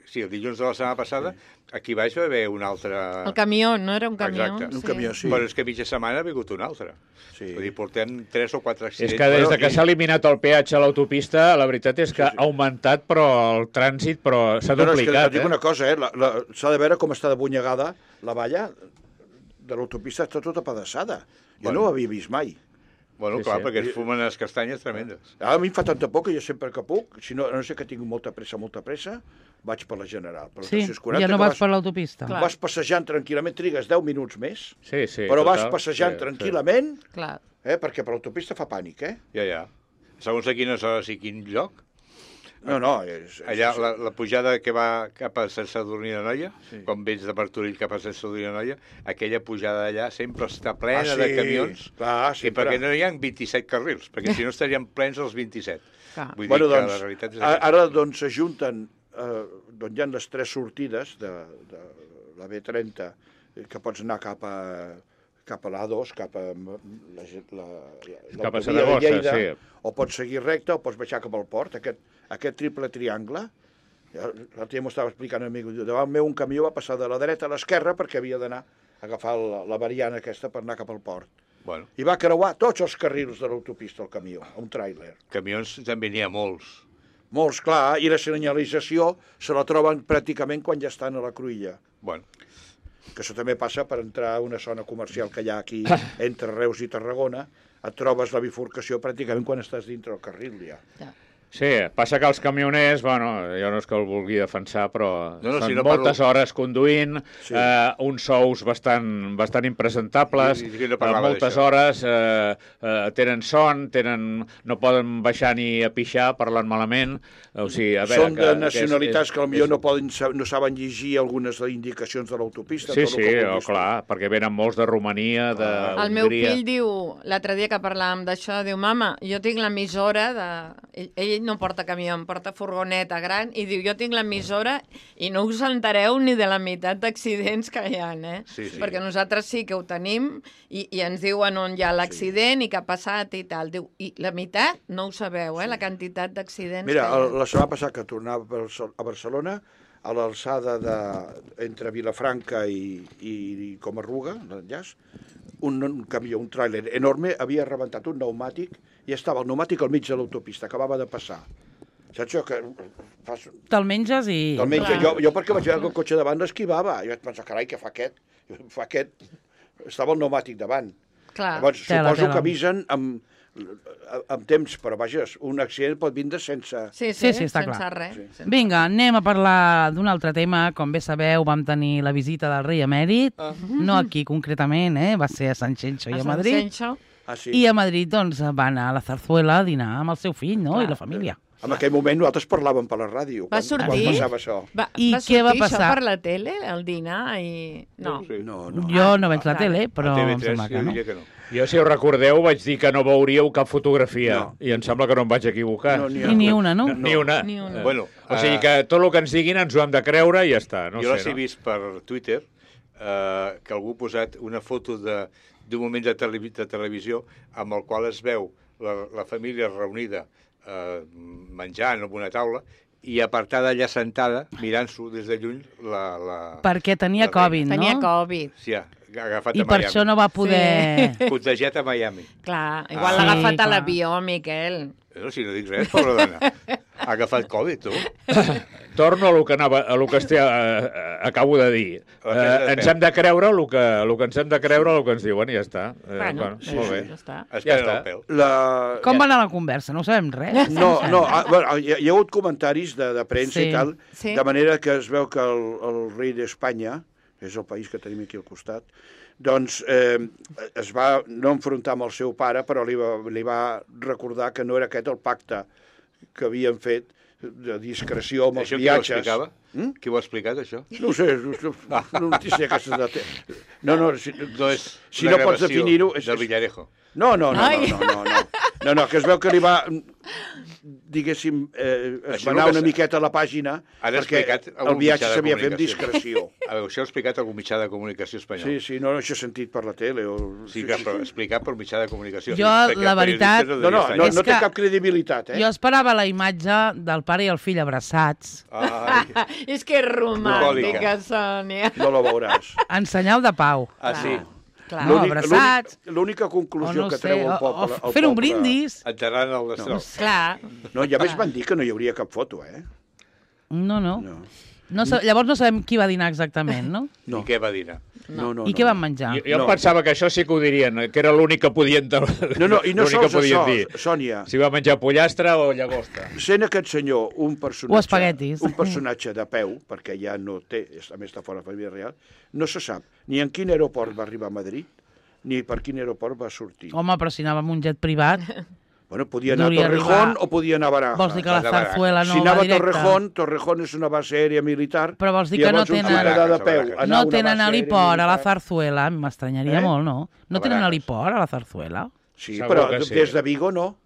sí, el dilluns de la setmana passada, aquí baix va haver un altre... el camió, no era un camió? Exacte. Un camió, sí. Però és que mitja setmana ha vingut un altre. Sí. Vull dir, portem tres o quatre És accidents. que des de Bueno, que i- s'ha eliminat el peatge a l'autopista, la veritat és que Sí, sí. ha augmentat però el trànsit però s'ha No, no, és que duplicat. et dic eh? una cosa, eh? la- la- s'ha de veure com està de bunyegada la valla de l'autopista, està tota pedaçada. Jo Bueno. no ho havia vist mai. Bueno, Sí, clar, sí. perquè es fumen les castanyes tremendes. A mi em fa tanta por que jo sempre que puc, si no, a no sé que tinc molta pressa, molta pressa, vaig per la General. Per la Sí, tres cents quaranta, ja no que vas per l'autopista. Clar. Vas passejant tranquil·lament, trigues deu minuts més, Sí, sí, però vas total, passejant sí, tranquil·lament, Clar. eh? perquè per l'autopista fa pànic, eh? Ja, ja. Segons a quines hores i quin lloc. No, no, és... és Allà, la, la pujada que va cap a Sant Sadurní de Noia, Sí. quan vens de Martorell cap a Sant Sadurní de Noia, aquella pujada d'allà sempre està plena Ah, sí, de camions, clar, i sempre. perquè no hi ha vint-i-set carrils, perquè si no estarien plens els vint-i-set. Clar. Vull Bueno, dir que doncs, la realitat és a- aquesta. ara doncs s'ajunten, eh, doncs hi ha les tres sortides de, de la B trenta, eh, que pots anar cap a, cap a l'A dos, cap a la, la, la, Cap a l'autovia de Saragossa, Lleida, sí. o pots seguir recte o pots baixar cap al port, aquest, aquest triple triangle. Ja, l'altre dia m'ho estava explicant un amic, diu, davant meu un camió va passar de la dreta a l'esquerra perquè havia d'anar a agafar la, la variant aquesta per anar cap al port. Bueno, I va creuar tots els carrils de l'autopista, el camió, un tràiler. camions també n'hi ha molts. Molts, clar, i la senyalització se la troben pràcticament quan ja estan a la cruïlla. Bueno, Que això també passa per entrar a una zona comercial que hi ha aquí entre Reus i Tarragona, et trobes la bifurcació pràcticament quan estàs dintre el carril ja. Ja. Sí, passa que els camioners, bueno, jo no és que el vulgui defensar, però No, no, són si no moltes parlo- hores conduint, Sí. eh, uns sous bastant, bastant impresentables, I- i no eh, parlava moltes d'això. hores, eh, eh, tenen son, tenen, no poden baixar ni a pixar, parlant malament, o sigui, a veure... Són de que, nacionalitats és, que és, potser és... no, poden, sa- no saben llegir algunes de les indicacions de l'autopista. Sí, tot el sí, que oh, vulguis tu. clar, perquè venen molts de Romania, de Ah. El meu Hongria. fill diu, l'altre dia que parlàvem d'això, diu, mama, jo tinc l'emissora de... Ell, ell no porta camió, em porta furgoneta gran, i diu, jo tinc l'emissora i no us entereu ni de la meitat d'accidents que hi ha, eh? Sí, sí. Perquè nosaltres sí que ho tenim i, i ens diuen on hi ha l'accident i què ha passat i tal. Diu, i la meitat no ho sabeu, eh? La quantitat d'accidents Mira, que hi ha. el, la setmana passada que tornava a Barce- a Barcelona, a l'alçada de, entre Vilafranca i, i, i Comarruga, l'enllaç, un, un camió, un tràiler enorme, havia rebentat un pneumàtic i estava el pneumàtic al mig de l'autopista, acabava de passar. Saps això? Que fas... Te'l menges i... Te'l menja. Clar. Jo, jo perquè vaig veure que el cotxe davant l'esquivava. I vaig pensar, carai, què fa aquest? Fa aquest... Estava el pneumàtic davant. Clar. Llavors, Tela, suposo tela. que avisen amb, amb temps, però vaja, un accident pot vindre sense... Sí, Sí, sí, sí, està sense clar. res. Sí. Sense- Vinga, anem a parlar d'un altre tema. Com bé sabeu, vam tenir la visita del rei emèrit, no aquí concretament, eh? Va ser a Sant Xenxo i a Sant Madrid. Senxo. Ah, sí. I a Madrid doncs, va anar a la Zarzuela a dinar amb el seu fill, no? Clar. I la família. En aquell moment nosaltres parlàvem per la ràdio. Va quan, sortir? Quan passava això. Va, I va què va sortir passar? això per la tele, el dinar, i... No. sí. No, no. Jo no veig la Ah, tele, A però T V em tres sembla que jo no. diria que no. Jo, si ho recordeu, vaig dir que no veuríeu cap fotografia, No. i em sembla que no em vaig equivocar. No, ni I ni una, no? Ni una. Ni una. Eh, Bueno, o sigui eh, que tot el que ens diguin ens ho hem de creure i ja està. No jo sé, les he no? vist per Twitter, eh, que algú ha posat una foto de- d'un moment de, televi de televisió amb el qual es veu la, la família reunida eh, menjant en una taula i apartada allà sentada, mirant-s'ho des de lluny, la... la Perquè tenia la Covid, no? Tenia Covid. Sí, ha agafat I a per Miami. això no va poder... Contagiat a Miami. Clar, igual Ah. l'ha Sí, agafat a clar. l'avió, Miquel. No, si no dic res, pobra dona. Ha agafat Covid, tu. Torno a lo que, anava, a lo que estic, eh, acabo de dir. La presa de Eh, ens pèl. hem de creure el que, el que ens hem de creure el que ens diuen i ja està. Eh, Bueno, bueno, molt bé. ja està. Es Ja pren està. el pèl. La... Com va anar la conversa? No ho sabem res. No, no, ah, bueno, hi, ha, hi ha hagut comentaris de, de premsa Sí. i tal, Sí. de manera que es veu que el, el rei d'Espanya, és el país que tenim aquí al costat, doncs eh, es va no enfrontar amb el seu pare, però li va, li va recordar que no era aquest el pacte que havien fet de discreció amb els Això qui ho viatges. explicava? Mm? Qui ho ha explicat, això? No ho sé, no, no, no sé aquestes de... No, no, si, No és si una no pots gravació definir-ho... És, del és, Villarejo. no, no, no, Ai. no, no, no, no, no, que es veu que li va, diguéssim, eh, es Això va és anar el que una s'ha- miqueta a la pàgina Han perquè explicat el algun viatge mitjà de s'havia fet amb comunicació. discreció. A veure, això ho ha explicat algun mitjà de comunicació espanyol. Sí, sí, no, això he sentit per la tele. O... Sí, que però explicat per mitjà de comunicació. Jo, Perquè la veritat- periodistes No, no, devia no, És no té que- cap credibilitat, eh? Jo esperava la imatge del pare i el fill abraçats, estar. Ai, És que és romàntica, Sònia. No la veuràs. en senyal de pau. ah, sí. Clar. No, L'únic- abraçats. l'únic- L'única O conclusió no que sé, treu el o, poble... o el fer un poble- brindis. Enterrant el destrol. Clar. No, i a més van dir que no hi hauria cap foto, eh? No, no. No, no sa- llavors no sabem qui va dinar exactament, no? no, I què va dir? no, no. I què no. van menjar? Jo, jo No. em pensava que això sí que ho dirien, que era l'únic que podien... No, no, i no l'únic que sols podien això, dir. Sònia. Si va menjar pollastre o llagosta. Sent aquest senyor un personatge... O espaguetis. Un personatge de peu, perquè ja no té, a més està fora de la família real, no se sap ni en quin aeroport va arribar a Madrid, ni per quin aeroport va sortir. Home, però si anava amb un jet privat, Bueno, podia anar a Hauria Torrejón d'arribar- o podia anar a Barajas. vols dir que la de Barajas. zarzuela no si anava va a directe? Torrejón, Torrejón és una base aèria militar. Però vols dir i que no llavors un tenen- ciutadà de peu, Barajas. anar a No una tenen base heliport aèria a la militar. zarzuela, m'estranyaria Eh? molt, no? No A tenen Barajas. heliport a la zarzuela? Sí, Segur però que sí. des de Vigo no.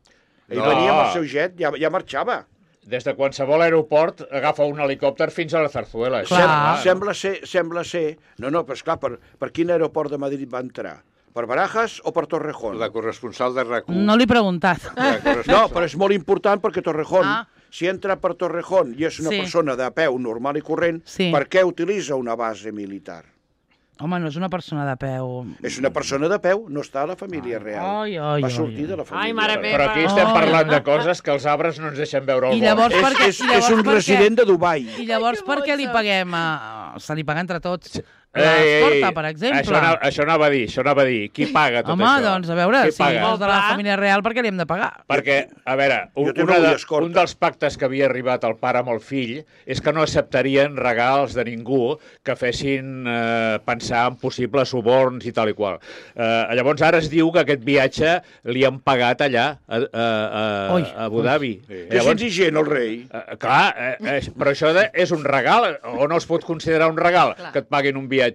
Ell No. venia amb el seu jet, ja, ja marxava. Des de qualsevol aeroport agafa un helicòpter fins a la Zarzuela. Això, Clar. clar. Sembla ser, sembla ser... No, no, però esclar, per, per quin aeroport de Madrid va entrar? Per Barajas o per Torrejón? La corresponsal de RAC u. No l'he preguntat. La No, corresponsal. però és molt important perquè Torrejón, Ah. si entra per Torrejón i és una Sí. persona de peu normal i corrent, Sí. per què utilitza una base militar? Home, no és una persona de peu. És una persona de peu, no està a la família real. Ai, ai, Va ai, sortir ai. de la família Ai, mare real. meva. Però aquí estem Oh. parlant de coses que els arbres no ens deixen veure el I llavors bosc. per què- És, és, i llavors és un per què? resident de Dubai. I llavors Ai, que per què li boig, paguem a... Se li paga entre tots Ei, l'escorta, ei, per exemple? Això anava, això anava a dir, això anava a dir. Qui paga tot Home, això? doncs, a veure, Qui si paga? vols de la Clar. família real, per què li hem de pagar? Perquè, a veure, un, Jo també una vull de, escorta. un dels pactes que havia arribat el pare amb el fill és que no acceptarien regals de ningú que fessin eh, pensar en possibles suborns i tal i qual. Eh, llavors ara es diu que aquest viatge li han pagat allà, a, a, a, Ui, a Abu Dhabi. Sí. Que és indigent, el rei. Eh, clar, eh, eh, però això de, és un regal, o no es pot considerar un regal Clar. que et paguin un viatge.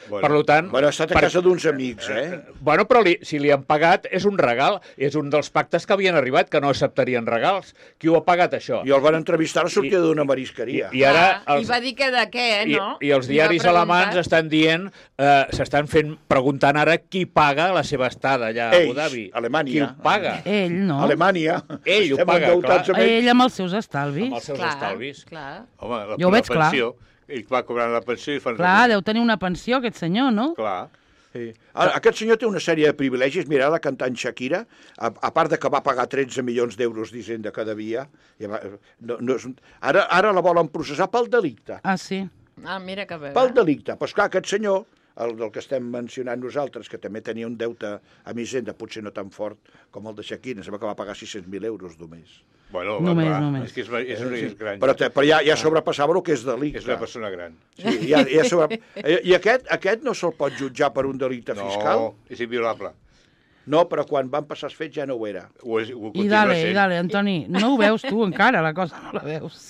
Bueno. Per tant... Bueno, ha estat a per- casa d'uns amics, eh? Bueno, però li, si li han pagat és un regal, és un dels pactes que havien arribat, que no acceptarien regals. Qui ho ha pagat, això? I el van entrevistar a la sortida I- d'una I, marisqueria. I ara... Ah, Els, I va dir que de què, i, no? I els Li va diaris preguntar. alemans estan dient, eh, s'estan fent, preguntant ara qui paga la seva estada allà a Abu Ells, Dhabi. Alemanya. Qui ho paga? Ell, no? Alemanya. Ell ho Estem paga, endeutats clar. amb ells. Ell amb els seus estalvis. Amb els seus Clar, estalvis. clar. Home, la, Jo ho la veig clar. pensió, ell va cobrant la pensió i fan... Clar, deu tenir una pensió, aquest senyor, no? Clar. Sí. Ara, aquest senyor té una sèrie de privilegis. Mira, la cantant Shakira, a, a part de que va pagar tretze milions d'euros d'Hisenda que devia, ja va, no, no és, ara, ara la volen processar pel delicte. Ah, sí. Ah, mira que bé. Pel delicte. Però esclar, aquest senyor, el del que estem mencionant nosaltres, que també tenia un deute amb Hisenda, potser no tan fort com el de Shakira, sembla que va pagar sis-cents mil euros només. Bueno, Només, va, només. És que és, és, és, és gran. Però, te, però ja, ja sobrepassava el que és delicte. És una persona gran. Sí, ja, ja sobre... I aquest, aquest no se'l pot jutjar per un delicte No, fiscal? és inviolable. No, però quan van passar els fets ja no ho era. Ho, és, ho I continua dale, sent. i dale, Antoni, no ho veus tu encara, la cosa, no la veus.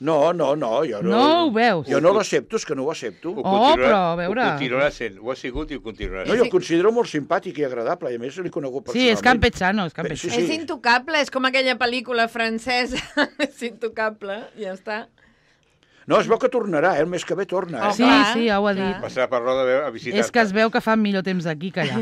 No, no, no, jo no... No ho veus. Jo no l'accepto, és que no ho accepto. Ho Oh, continuarà- però, a veure. Ho continuarà sent. Ho ha sigut i ho continuarà No, sent. jo el considero molt simpàtic i agradable, i a més l'he conegut Sí, personalment. és campechano, és Sí, campechano. sí. És intocable, és com aquella pel·lícula francesa. És intocable, ja està. No, es veu que tornarà, eh? El mes que ve torna, eh? Oh, Sí, clar, sí, ja ho ha clar. dit. Passarà per Roda a visitar-te. És que es veu que fa millor temps aquí que allà.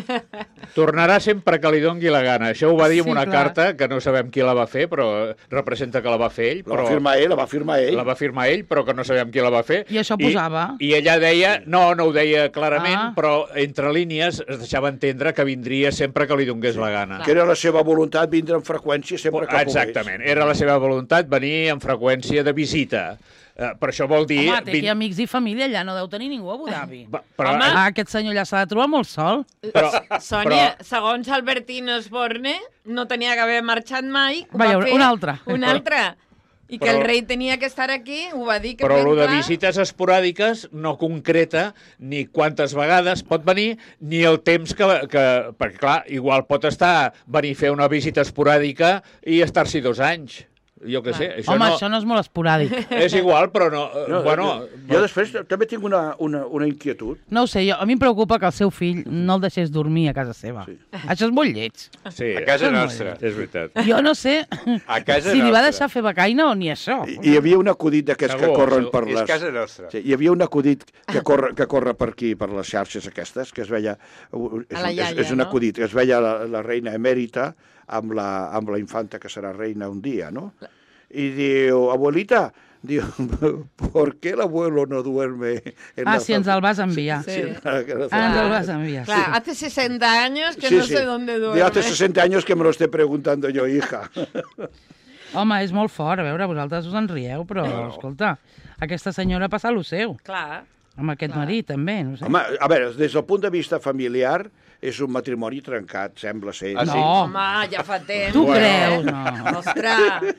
Tornarà sempre que li dongui la gana. Això ho va dir en Sí, una clar. carta que no sabem qui la va fer, però representa que la va fer ell. La Però... va firmar ell, la va firmar ell. La va firmar ell, però que no sabem qui la va fer. I això posava. I, i ella deia, no, no ho deia clarament, Ah. però entre línies es deixava entendre que vindria sempre que li donés la gana. Que era la seva voluntat vindre amb freqüència sempre que Exactament, era la seva voluntat venir amb freqüència de visita. Uh, per això vol dir... Home, té aquí vin- amics i família, allà no deu tenir ningú a Abu Dhabi. Va, però, Home. Ah, aquest senyor allà s'ha de trobar molt sol. però, Sònia, però, segons Albertino Osborne, no tenia que haver marxat mai. ho Vaja, va fer un altre. Un altre. I que Però- el rei tenia que estar aquí, ho va dir que però ben el de clar. visites esporàdiques no concreta ni quantes vegades pot venir ni el temps que... que perquè, clar, igual pot estar venir a fer una visita esporàdica i estar-s'hi dos anys. Jo què sé. Això Home, no... això no és molt esporàdic. És igual, però no... No, bueno, jo després també tinc una, una, una inquietud. No ho sé, jo, a mi em preocupa que el seu fill no el deixés dormir a casa seva. Sí. Això és molt lleig. sí, A casa Això no nostra. és veritat. Jo no sé A casa si li va nostra. deixar fer becaina o ni això. I hi havia un acudit d'aquests que Segur, corren segur. per És les... casa nostra. Sí, hi havia un acudit que corre, que corre per aquí, per les xarxes aquestes, que es veia... És, A la és, iaia, és un no? acudit, que es veia la, la reina emèrita amb la, amb la infanta que serà reina un dia, no? Y diu, abuelita, diu, ¿por qué el abuelo no duerme en Ah, la si ens el vas enviar. Sí. Sí, en la- en la- Ah, ens el vas enviar. Clar, hace sesenta años que Sí, no sí. sé dónde duerme. Diu, hace sesenta años que me lo esté preguntando yo, hija. Home, és molt fort, a veure, vosaltres us en rieu, però, No. escolta, aquesta senyora passa lo seu, Clar. amb aquest Clar. marit, també, no sé. Home, a veure, des del punt de vista familiar, és un matrimoni trencat, sembla ser. Ah, sí? No, Home, ja fa temps. tu eh? creus, no. Ostres,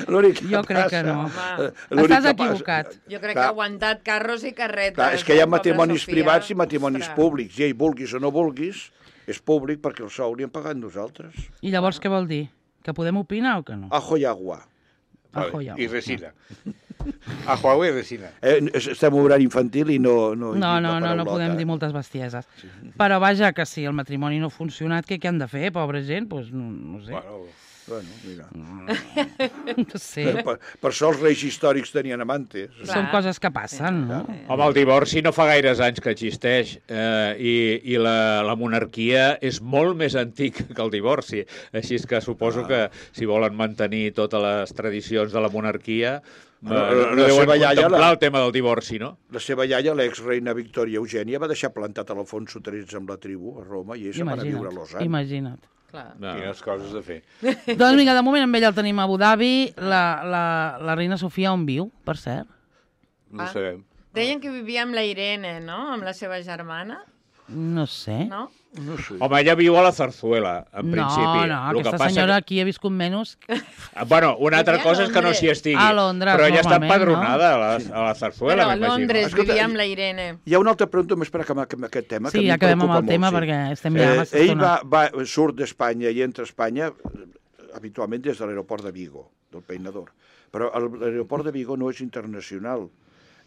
L'únic que Jo crec que passa- no. Home. l'únic Estàs que equivocat. passa- jo crec que Clar. ha aguantat carros i carretes. Clar, és que hi ha eh, pobra matrimonis Sofia. privats i matrimonis Ostres. públics. I ell, vulguis o no vulguis, és públic perquè el sou li hem pagat nosaltres. I llavors què vol dir? Que podem opinar o que no? Ajo i agua. Ajo Vale. i agua. I resina. A Huawei i resina. Eh, es- estem obrant infantil i no... No, No, hi dic la no, no, no paraulota, podem eh? dir moltes bestieses. Però vaja, que si el matrimoni no ha funcionat, què, què han de fer, pobra gent? Pues, no, no sé. Bueno, Bueno, mira. No sé. Per, per això els reis històrics tenien amantes. Clar. Són coses que passen, no? Home, el divorci no fa gaires anys que existeix eh, i, i la, la monarquia és molt més antic que el divorci. Així és que suposo Ah. que si volen mantenir totes les tradicions de la monarquia eh, La- no, la no deuen seva iaia, contemplar la- el tema del divorci, no? La seva iaia, l'ex-reina Victòria Eugènia, va deixar plantat a l'Alfonso tretze amb la tribu a Roma i ell se'n va anar a viure a Imagina't, Lausanne. imagina't. Clar. No. quines coses de fer. Doncs vinga, de moment amb ella el tenim a Abu Dhabi. La, la, la reina Sofia on viu, per cert? No Ah. ho sabem. Deien que vivia amb la Irene, no? Amb la seva germana, No sé. no? No sé. Home, ella viu a la Zarzuela, en No, principi. no, El que aquesta passa senyora que- aquí ha viscut menys. Ah, Bueno, una altra Vivia a cosa és que no Londres. s'hi estigui. A Londres, però ella està normalment, empadronada a, la, a la Zarzuela, Però a m'imagino. Londres Escolta, vivia amb la Irene. Hi ha una altra pregunta més per acabar amb aquest tema. que a Sí, mi em acabem amb preocupa el tema molt, sí. perquè estem ja massa Eh, ell estona. va, va, surt d'Espanya i entra a Espanya eh, habitualment des de l'aeroport de Vigo, del Peinador. Però el- l'aeroport de Vigo no és internacional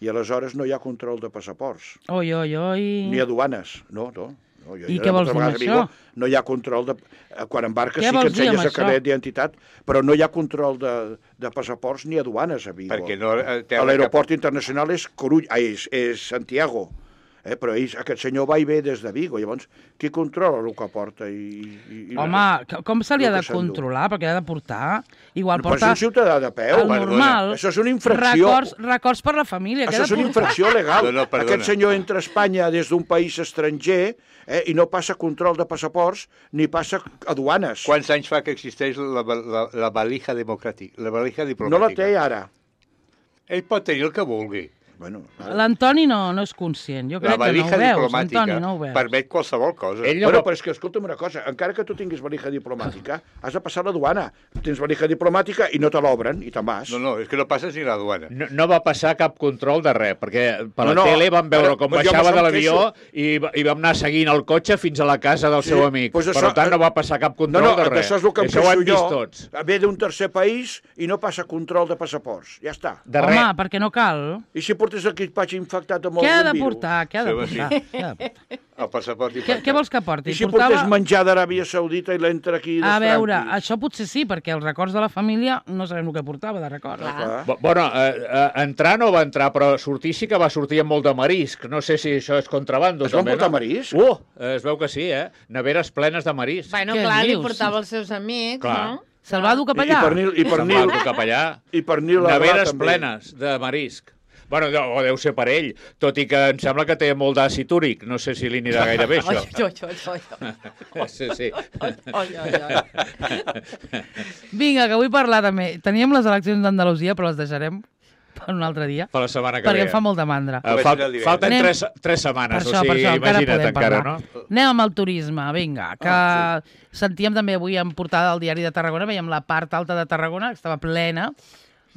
i aleshores no hi ha control de passaports, Oi, oi, oi. ni aduanes. No, no. no jo, I jo què vols moltes dir amb vegades a Vigo això? No hi ha control de... eh, Quan embarques Què sí que vols dir amb ensenyes el això? carnet d'identitat, però no hi ha control de, de passaports ni aduanes a Vigo. Perquè no eh, té A l'aeroport internacional és, Corull, ah, és, és Santiago, eh? Però ell, aquest senyor va i ve des de Vigo. Llavors, qui controla el que porta? I, i, i Home, que- com se li ha el de que s'endú. controlar? Perquè ha de portar... Igual Però és porta un ciutadà de peu. el perdona. normal. Això és una infracció. Records, records per la família. que ha Això de és una portar. infracció legal. No, no, perdona. Aquest senyor entra a Espanya des d'un país estranger eh, i no passa control de passaports ni passa aduanes. Quants anys fa que existeix la, la, la valija democràtica? La valija No diplomàtica. la té ara. Ell pot tenir el que vulgui. Bueno, ara. L'Antoni no, no és conscient. Jo La crec que no valija ho veus, diplomàtica Antoni, no ho veus. permet qualsevol cosa. Ell no Bueno, va... però és que escolta'm una cosa, encara que tu tinguis valija diplomàtica, has de passar la duana. Tens valija diplomàtica i no te l'obren, i te'n vas. No, no, és que no passes ni la duana. No, no va passar cap control de res, perquè per la No, no, tele vam veure ara, com pues jo baixava me'n de l'avió queixo. i, va- i vam anar seguint el cotxe fins a la casa del Sí, seu amic. pues Per això- tant, no va passar cap No, control no, de res. això és el que em Això ho hem queixo vist jo. tots. Ve d'un tercer país i no passa control de passaports. Ja està. De Home, res. perquè no cal. I si portem portes equipatge infectat amb Què ha algun de virus? portar? Què ha de Sí, portar? Què ha de portar? El passaport Què, infectat. què vols que porti? I si portés menjar d'Aràbia Saudita i l'entra aquí A veure, d'estranquis? això potser sí, perquè els records de la família no sabem el que portava de records. Clar. Clar. Bo- Bueno, eh, eh, entrar no va entrar, però sortir sí que va sortir amb molt de marisc. No sé si això és contrabando. Es van també, portar no? marisc? Uh, eh, es veu que sí, eh? Neveres plenes de marisc. Bueno, Què clar, li dius? portava els seus amics, Clar. no? Se'l va dur cap I, i allà? pernil, i Se'n va pernil, dur cap allà. i pernil a Neveres també. plenes de marisc. Bueno, o deu ser per ell, tot i que em sembla que té molt d'àcid úric. No sé si li anirà gaire bé, Oi, això. oi, oi, oi, Sí, sí. oi, oi, oi. Vinga, que vull parlar també. Teníem les eleccions d'Andalusia, però les deixarem per un altre dia, Per la setmana que perquè ve. em fa molta mandra. Eh, Ho fal vaig dir el falten divendres. tres, tres setmanes, Per això, o sigui, per això, encara imagina't podem encara, parlar. no? Anem amb el turisme, vinga, que Ah, sentíem també avui en portada del diari de Tarragona, veiem la part alta de Tarragona, que estava plena,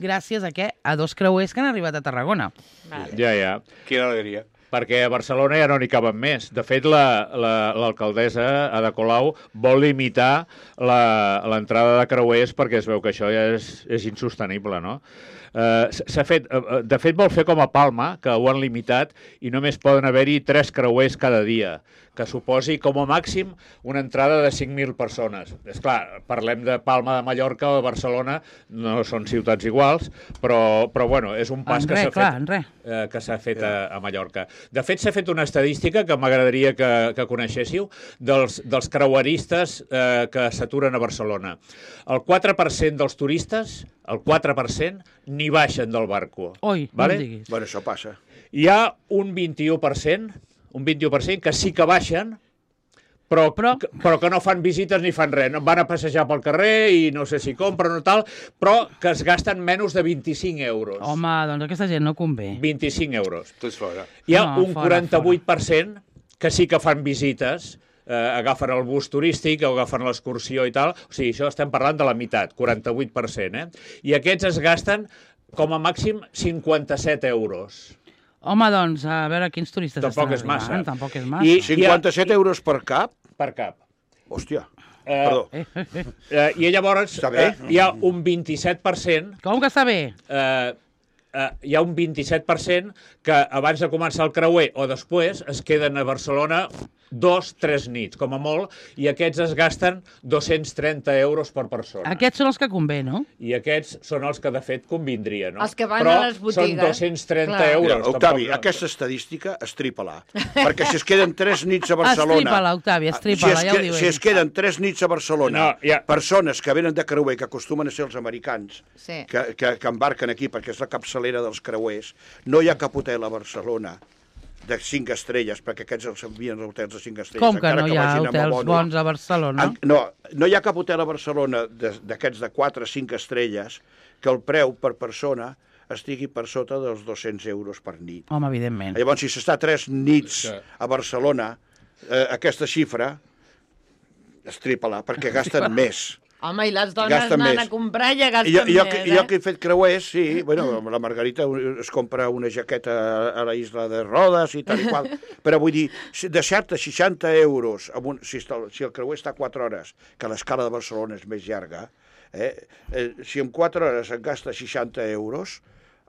gràcies a què? A dos creuers que han arribat a Tarragona. Vale. Ja, ja. Quina alegria. Perquè a Barcelona ja no n'hi caben més. De fet, l'alcaldessa, la, la, Ada Colau, vol limitar la- l'entrada de creuers perquè es veu que això ja és, és insostenible, no? Uh, s'ha fet, uh, de fet, vol fer com a Palma, que ho han limitat, i només poden haver-hi tres creuers cada dia, que suposi com a màxim una entrada de cinc mil persones. És clar, parlem de Palma de Mallorca o de Barcelona, no són ciutats iguals, però, però bueno, és un pas En que res, s'ha clar, fet, en res. eh, que s'ha fet a, a Mallorca. De fet, s'ha fet una estadística que m'agradaria que, que coneixéssiu dels, dels creueristes eh, que s'aturen a Barcelona. El quatre per cent dels turistes, el quatre per cent, ni baixen del barco. Oi, vale? no em diguis. Bueno, això passa. Hi ha un vint-i-u per cent, un vint-i-u per cent que sí que baixen, però, Però- però... però que no fan visites ni fan res. No van a passejar pel carrer i no sé si compren o tal, però que es gasten menys de vint-i-cinc euros. Home, doncs aquesta gent no convé. vint-i-cinc euros. Tu ets fora. Hi ha No, un fora, quaranta-vuit per cent que sí que fan visites, eh, agafen el bus turístic o agafen l'excursió i tal. O sigui, això estem parlant de la meitat, quaranta-vuit per cent, eh? I aquests es gasten com a màxim cinquanta-set euros. Home, doncs, a veure quins turistes Tampoc estan és massa. arribant. Tampoc és massa. I- cinquanta-set euros per cap? Per cap. Hòstia, Eh, perdó. Eh, I llavors Està bé. eh, hi ha un vint-i-set per cent Com que està bé? eh, eh, hi ha un vint-i-set per cent que abans de començar el creuer o després es queden a Barcelona dos, tres nits, com a molt, i aquests es gasten dos-cents trenta euros per persona. Aquests són els que convé, no? I aquests són els que, de fet, convindria, no? Els que van Però a les botigues. són dos-cents trenta Clar. euros. Mira, Octavi, tampoc no. aquesta estadística, estripa-la. Perquè si es queden tres nits a Barcelona... Estripa-la, Octavi, estripa-la, si es, ja ho que- diu Si ell. es queden tres nits a Barcelona, No, ja. persones que venen de creuer, que acostumen a ser els americans, Sí. que, que, que embarquen aquí perquè és la capçalera dels creuers, no hi ha cap hotel a Barcelona de cinc estrelles, perquè aquests els envien als hotels de cinc estrelles. Com que encara no hi ha vagin amb hotels abono. bons a Barcelona? En- No, no hi ha cap hotel a Barcelona de- d'aquests de quatre o cinc estrelles que el preu per persona estigui per sota dels dos-cents euros per nit. Home, evidentment. Llavors, si s'està tres nits Sí. a Barcelona, eh, aquesta xifra, estripa-la, perquè gasten més. Home, i les dones Gasten anant més. a comprar ja I gasten jo, jo, més, que, eh? jo que he fet creuers, sí, bueno, la Margarita es compra una jaqueta a, a la isla de Rodes i tal i qual, però vull dir, si- deixar-te seixanta euros, amb un, si, està, si el creuer està quatre hores, que l'escala de Barcelona és més llarga, eh, eh, si en quatre hores et gasta seixanta euros,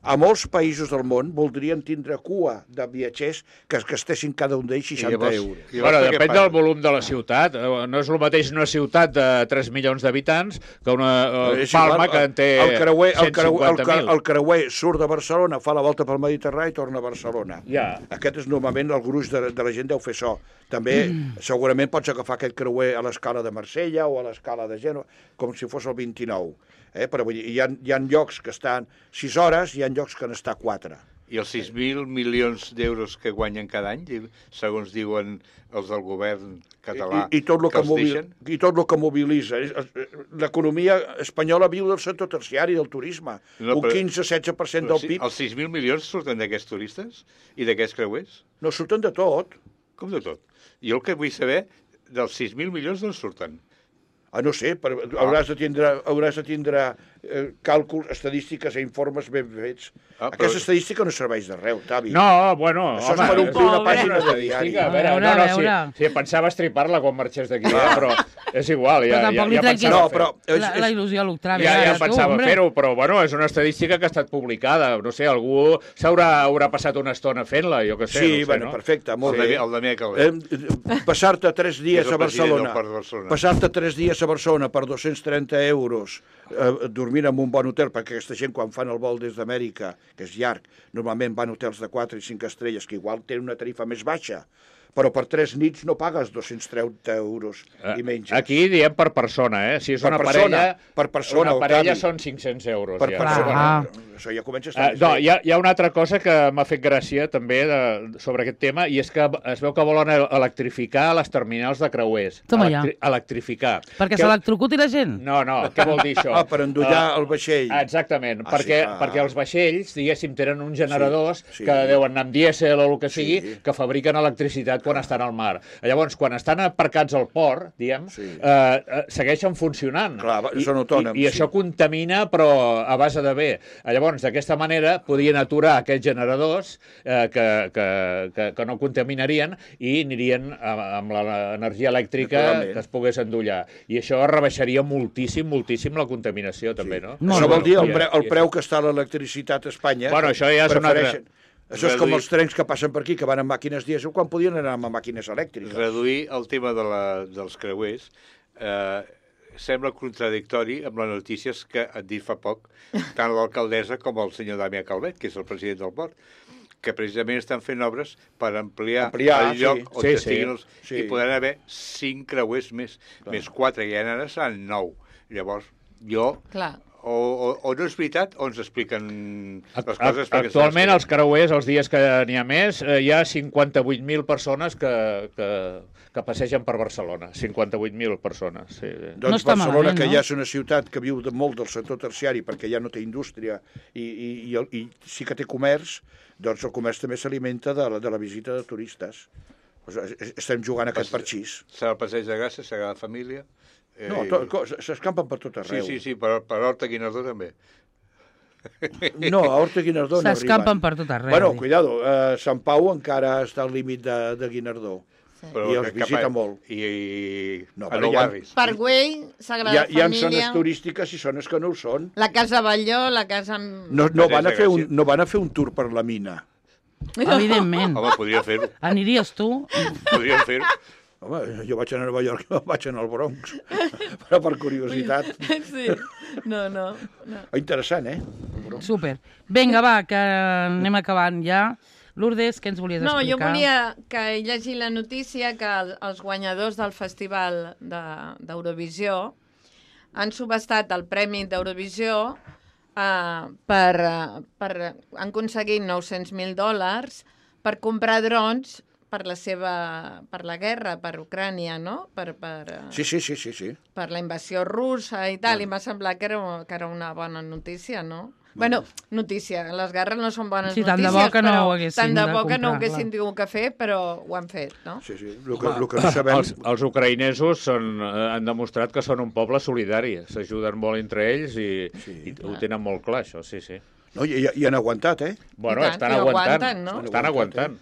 a molts països del món voldrien tindre cua de viatgers que es gastessin cada un d'ells seixanta llavors- euros. I Bueno, llavors, què depèn passa? del volum de la ciutat. Eh, No és el mateix una ciutat de tres milions d'habitants que una eh, És Palma igual, que en té el creuer, el, creuer, el, cent cinquanta cre- mil. el creuer surt de Barcelona, fa la volta pel Mediterrani i torna a Barcelona. Ja. Aquest és normalment el gruix de, de la gent deu fer això. També mm. segurament pots agafar aquest creuer a l'escala de Marsella o a l'escala de Gènova, com si fos el vint-i-nou. Eh? Però vull dir, hi ha, hi ha llocs que estan sis hores i hi ha llocs que n'està quatre. I els sis mil milions d'euros que guanyen cada any, di- segons diuen els del govern català, I, i, tot el que els mobil, deixen? I tot el que mobilitza. És- és- L'economia espanyola viu del sector terciari del turisme. No, Un però- quinze setze per cent Però del sí, P I B. els sis mil milions surten d'aquests turistes i d'aquests creuers? No surten de tot. Com de tot. Jo el que vull saber, dels sis mil milions d'on surten? Ah, no sé, però hauràs de tindre, hauràs de tindre eh, càlculs, estadístiques i informes ben fets. Ah, però... Aquesta estadística no serveix de res, Octavi. No, bueno, Això home... és per omplir una pobre. pàgina de Estadística, diari. a veure, A veure, no, no, a veure. sí, sí, pensava estripar-la quan marxés d'aquí, eh, però és igual, ja, Però tampoc ja, li ja treguis pensava No, fer. però... És, La, la il·lusió a l'Octavi. Ja, ja ara, tu, pensava hombre. fer-ho, però bueno, és una estadística que ha estat publicada. No sé, algú s'haurà haurà passat una estona fent-la, jo què sé. Sí, no sé, bueno, no? perfecte, molt El bé. Damià- el Damià Calvet. Eh, Passar-te tres dies És el a president del Barcelona, Port de Barcelona. passar-te tres dies a Barcelona per dos-cents trenta euros, eh, dormint en un bon hotel, perquè aquesta gent quan fan el vol des d'Amèrica, que és llarg, normalment van a hotels de quatre i cinc estrelles, que igual tenen una tarifa més baixa, però per tres nits no pagues dos-cents trenta euros i menys. Aquí diem per persona, eh? Si és Per una persona, parella, per persona, una parella Octavi. són cinc-cents euros. Per ja. persona. Clar. Això ja comença a Uh, estar més no, bé. hi ha, hi ha una altra cosa que m'ha fet gràcia també de, sobre aquest tema, i és que es veu que volen electrificar les terminals de creuers. Toma ja. Electrificar. Perquè Que- s'electrocuti la gent? No, no, què vol dir això? Ah, per endollar Uh, el vaixell. Exactament, Ah, perquè, sí, ah. perquè els vaixells, diguéssim, tenen uns generadors sí. que deuen anar amb dièsel o el que sigui, Sí. que fabriquen electricitat quan estan al mar. Llavors, quan estan aparcats al port, diguem, Sí. eh, eh, segueixen funcionant. Clar, va- són autònoms, I, i sí. això contamina, però a base de bé. Llavors, d'aquesta manera, podien aturar aquests generadors eh, que, que, que, que no contaminarien i anirien amb, amb l'energia elèctrica Naturalment. que es pogués endollar. I això rebaixaria moltíssim, moltíssim la contaminació, també, no? Molt Això bé. vol dir el, I- pre, el i- preu que està l'electricitat a Espanya. Bueno, això ja és una altra- prefereixen- Això és com Reduir- els trens que passen per aquí, que van amb màquines dièsel, quan podien anar amb màquines elèctriques. Reduir el tema de la, dels creuers eh, sembla contradictori amb les notícies que han dit fa poc tant l'alcaldessa com el senyor Damià Calvet, que és el president del port, que precisament estan fent obres per ampliar, Ampliar, el lloc sí. on Sí, estiguin sí. els... Sí. I podran haver cinc creuers més, més quatre, i ara seran nou. Llavors, jo... Clar. O, o, o no és veritat, o ens expliquen les Ac- coses... perquè Actualment, se les els creuers, els dies que n'hi ha més, eh, hi ha cinquanta-vuit mil persones que, que, que passegen per Barcelona. cinquanta-vuit mil persones, sí. sí. Doncs No està Barcelona, malament, que no? ja és una ciutat que viu de molt del sector terciari perquè ja no té indústria i, i, i, el- i sí que té comerç, doncs el comerç també s'alimenta de, la, de la visita de turistes. Pues, es- estem jugant a aquest parxís. Serà el passeig de Gràcia, serà la família... Eh, No, to, co- s'escampen per tot Sí, arreu. sí, sí, per, per Horta Guinardó també. No, a Horta Guinardó no arriben. S'escampen per tot arreu. Bueno, dic. cuidado, eh, Sant Pau encara està al límit de, de Guinardó. Però I els cap visita a- molt. I, i No, a però nou ja- barris. Parkway, Hi Sagrada ha, hi ha zones Família, turístiques i zones que no ho són. la Casa Batlló, la Casa... No, no, van a Passeig de fer un, Gràcia. no van a fer un tour per la mina. Evidentment. Home, podria fer-ho. Aniries tu? Podríem fer-ho. Home, jo vaig a Nova York i vaig anar al Bronx, però per curiositat. Sí, no, no. no. Interessant, eh? Súper. Vinga, va, que anem acabant ja. Lourdes, què ens volies No, jo explicar? volia que llegir la notícia que el- els guanyadors del Festival de- d'Eurovisió han subestat el Premi d'Eurovisió eh, per, eh, per... han aconseguit nou-cents mil dòlars per comprar drons per la seva... per la guerra, per Ucrània, no? Per, per, eh, Sí, sí, sí, sí, sí. per la invasió russa i tal, i m'ha semblat que era, que era una bona notícia, no? Bueno, notícia, les guerres no són bones Sí, tant de notícies, bo que no però ho haguessin tant de de bo que no ho comprar, haguessin clar. tingut que fer, però ho han fet, no? Sí, sí. El que, el que no sabem... Els, els ucraïnesos són, eh, han demostrat que són un poble solidari, s'ajuden molt entre ells i, Sí. i ho tenen molt clar, això, sí, sí. No, i, i han aguantat, eh? Bueno, I tant, estan i ho aguantant, aguanten, no? estan aguantant.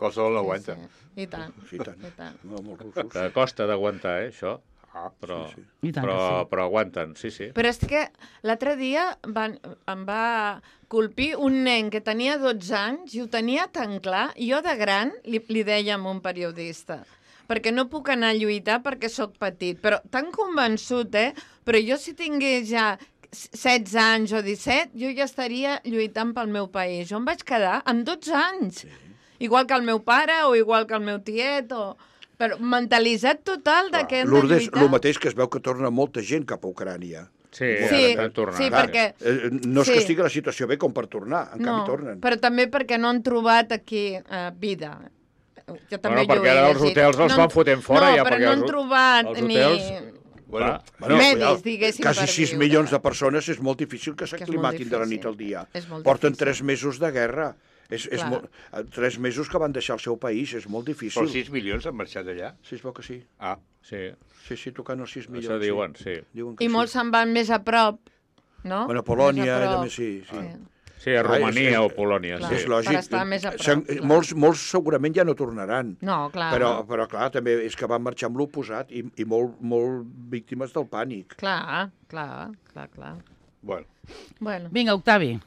Qualsevol no aguanta. I tant, Sí, i tant. i tant. No, molt russos. Que costa d'aguantar, eh, això. Ah, Però, sí, I tant però, que sí. però aguanten, sí, sí. Però és que l'altre dia van, em va colpir un nen que tenia dotze anys i ho tenia tan clar. Jo de gran li, li deia a un periodista perquè no puc anar a lluitar perquè sóc petit, però tan convençut, eh? Però jo si tingués ja setze anys o disset, jo ja estaria lluitant pel meu país. Jo em vaig quedar amb dotze anys. Sí. Igual que el meu pare o igual que el meu tiet o... Però mentalitzat total de que hem de Lourdes, lluitar. el mateix que es veu que torna molta gent cap a Ucrània. Sí, Sí, ara han tornat. sí, Clar, perquè... eh, no és sí. que estigui la situació bé com per tornar, en canvi tornen. però també perquè no han trobat aquí eh, vida. Jo també Bueno, perquè jo ho he ara els llegit. hotels els No han- van fotent fora, no, ja, però perquè no els han ho- trobat els ni hotels- Bueno, Bueno, medis, cuidado, diguéssim, quasi per sis viure. milions de persones és molt difícil que Que és molt s'aclimatin de la nit difícil. al dia. És molt Porten difícil. tres mesos de guerra. És, és Clar. molt, eh, tres mesos que van deixar el seu país, és molt difícil. Però sis milions han marxat d'allà? Sí, es veu que sí. Ah, Sí, Sí, sí, tocant els sis milions. això diuen, sí. Sí. Diuen que I sí. molts se'n van més a prop, no? Bueno, a Polònia, Més a prop. també sí, sí. Sí, a Clar, Romania és- o Polònia, Clar. sí. És lògic. Per estar més a prop, Se'n- clar. Molts, molts segurament ja no tornaran. No, clar. Però, però clar, també és que van marxar amb l'oposat i, i molt, molt víctimes del pànic. Clar, clar, clar, clar. bueno. Bueno, Vinga, Octavi.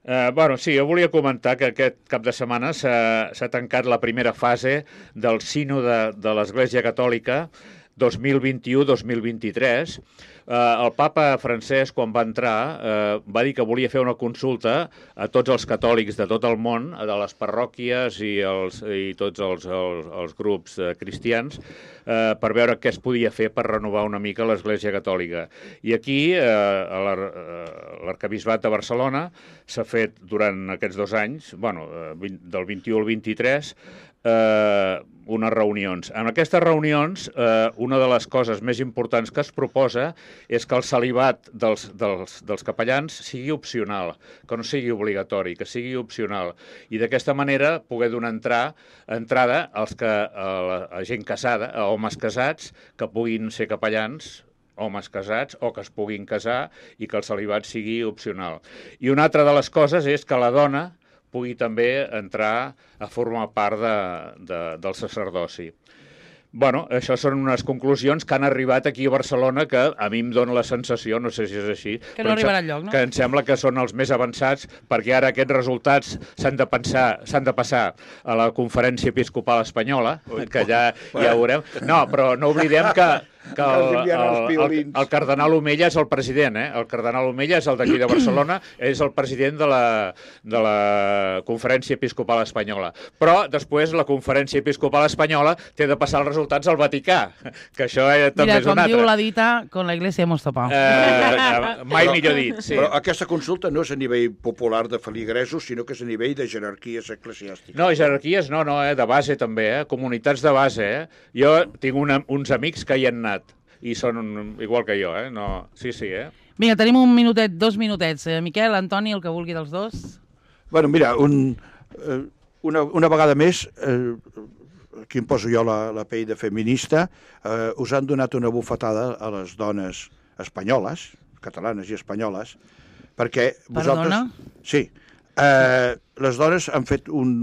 Eh, bueno, sí, jo volia comentar que aquest cap de setmana s'ha s'ha tancat la primera fase del sínode de l'Església Catòlica dos mil vint-i-u dos mil vint-i-tres. Eh, el papa Francesc, quan va entrar, eh, va dir que volia fer una consulta a tots els catòlics de tot el món, de les parròquies i, els, i tots els, els, els grups eh, cristians, eh, per veure què es podia fer per renovar una mica l'Església Catòlica. I aquí, eh, a l'Ar- eh, l'Arquebisbat de Barcelona, s'ha fet durant aquests dos anys, bueno, eh, vint- del vint-i-u al vint-i-tres, eh, unes reunions. En aquestes reunions, eh, una de les coses més importants que es proposa és que el celibat dels, dels, dels capellans sigui opcional, que no sigui obligatori, que sigui opcional. I d'aquesta manera poder donar entrar, entrada als que, a, la, a gent casada, a homes casats, que puguin ser capellans, homes casats o que es puguin casar i que el celibat sigui opcional. I una altra de les coses és que la dona pugui també entrar a formar part de, de, del sacerdoci. Bueno, això són unes conclusions que han arribat aquí a Barcelona que a mi em dóna la sensació, no sé si és així, Que no però em arribarà sem- enlloc, no? que em sembla que són els més avançats perquè ara aquests resultats s'han de pensar, s'han de passar a la Conferència Episcopal Espanyola, que ja, ja ho veurem. No, però no oblidem que, que Els el, envien els el, el, piolins. el cardenal Omella és el president, eh? El cardenal Omella és el d'aquí de Barcelona, és el president de la, de la Conferència Episcopal Espanyola. Però després la Conferència Episcopal Espanyola té de passar els resultats al Vaticà, que això eh, també Mira, és com un diu altre. la dita, con la iglesia hemos topado. Eh, mai millor dit, sí. Però aquesta consulta no és a nivell popular de feligresos, sinó que és a nivell de jerarquies eclesiàstiques. No, jerarquies no, no, eh, de base també, eh, comunitats de base, eh. Jo tinc una, uns amics que hi han anat i són igual que jo, eh, no, sí, sí, eh. Vinga, tenim un minutet, dos minutets. Eh, Miquel, Antoni, el que vulgui dels dos. Bueno, mira, un, eh, una, una vegada més, eh, aquí em poso jo la, la pell de feminista, eh, us han donat una bufetada a les dones espanyoles, catalanes i espanyoles, perquè vosaltres... Perdona? Sí. Eh, les dones han fet un...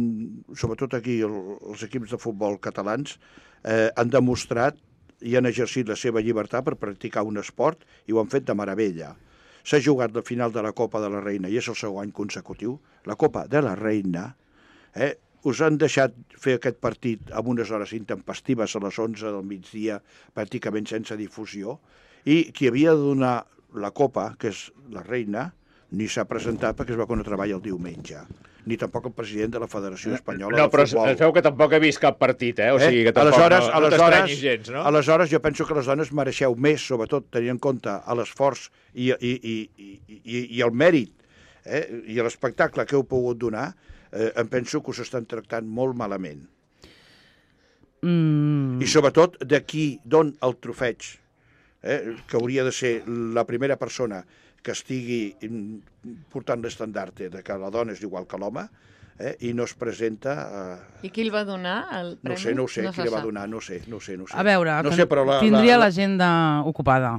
Sobretot aquí el, els equips de futbol catalans eh, han demostrat i han exercit la seva llibertat per practicar un esport i ho han fet de meravella. S'ha jugat la final de la Copa de la Reina i és el segon any consecutiu. La Copa de la Reina, eh, us han deixat fer aquest partit amb unes hores intempestives a les onze del migdia, pràcticament sense difusió, i qui havia de donar la Copa, que és la Reina, ni s'ha presentat perquè es va quan treballa el diumenge. Ni tampoc el president de la Federació Espanyola No, de però Futbol. es veu que tampoc he vist cap partit, eh? O sigui que tampoc aleshores, no, no aleshores, t'estranyis gens, no? aleshores, jo penso que les dones mereixeu més, sobretot tenint en compte a l'esforç i, i, i, i, i, i el mèrit eh, i l'espectacle que heu pogut donar, eh, em penso que us estan tractant molt malament. Mm, I sobretot d'aquí d'on el trofeig, eh, que hauria de ser la primera persona que estigui mm, portant l'estandarte de que la dona és igual que l'home, eh, i no es presenta... Eh, I qui el va donar, el no premi? ho sé, no ho sé, se qui li va sap. donar, no ho sé, no ho sé. No ho sé. a veure, no que sé, però la, tindria la, l'agenda ocupada.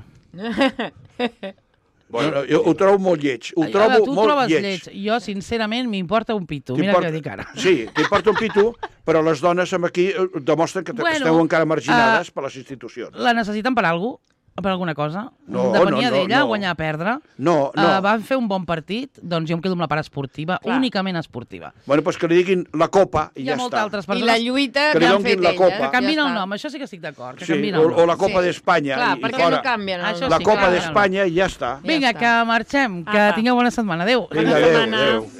No, no, jo ho trobo molt lleig, ho Ai, trobo tu ho molt trobes lleig. lleig. Jo, sincerament, m'importa un pito. Mira T'importa- què dic ara. Sí, t'importa un pito, però les dones amb aquí eh, demostren que, Bueno, bueno, esteu encara marginades uh, per les institucions. La necessiten per alguna cosa? Per alguna cosa? No, Depenia no, no, d'ella, no. guanyar o perdre. No, no. Uh, van fer un bon partit, doncs jo em quedo amb la part esportiva, Clar. únicament esportiva. Bueno, doncs que li diguin la copa i Hi ha ja moltes està. altres I persones la lluita Que li l'han donin fet la elles. copa. que canvien ja el està. nom, això sí que estic d'acord, que Sí, canvien o, el o nom. la Copa Sí. d'Espanya Clar, i, per i què fora. no canvien el Això nom? La sí, Copa clar. d'Espanya i ja està. Ja Vinga, està. que marxem, que Apa. tingueu bona setmana. Adéu. Vinga, Bona adéu, setmana. adéu.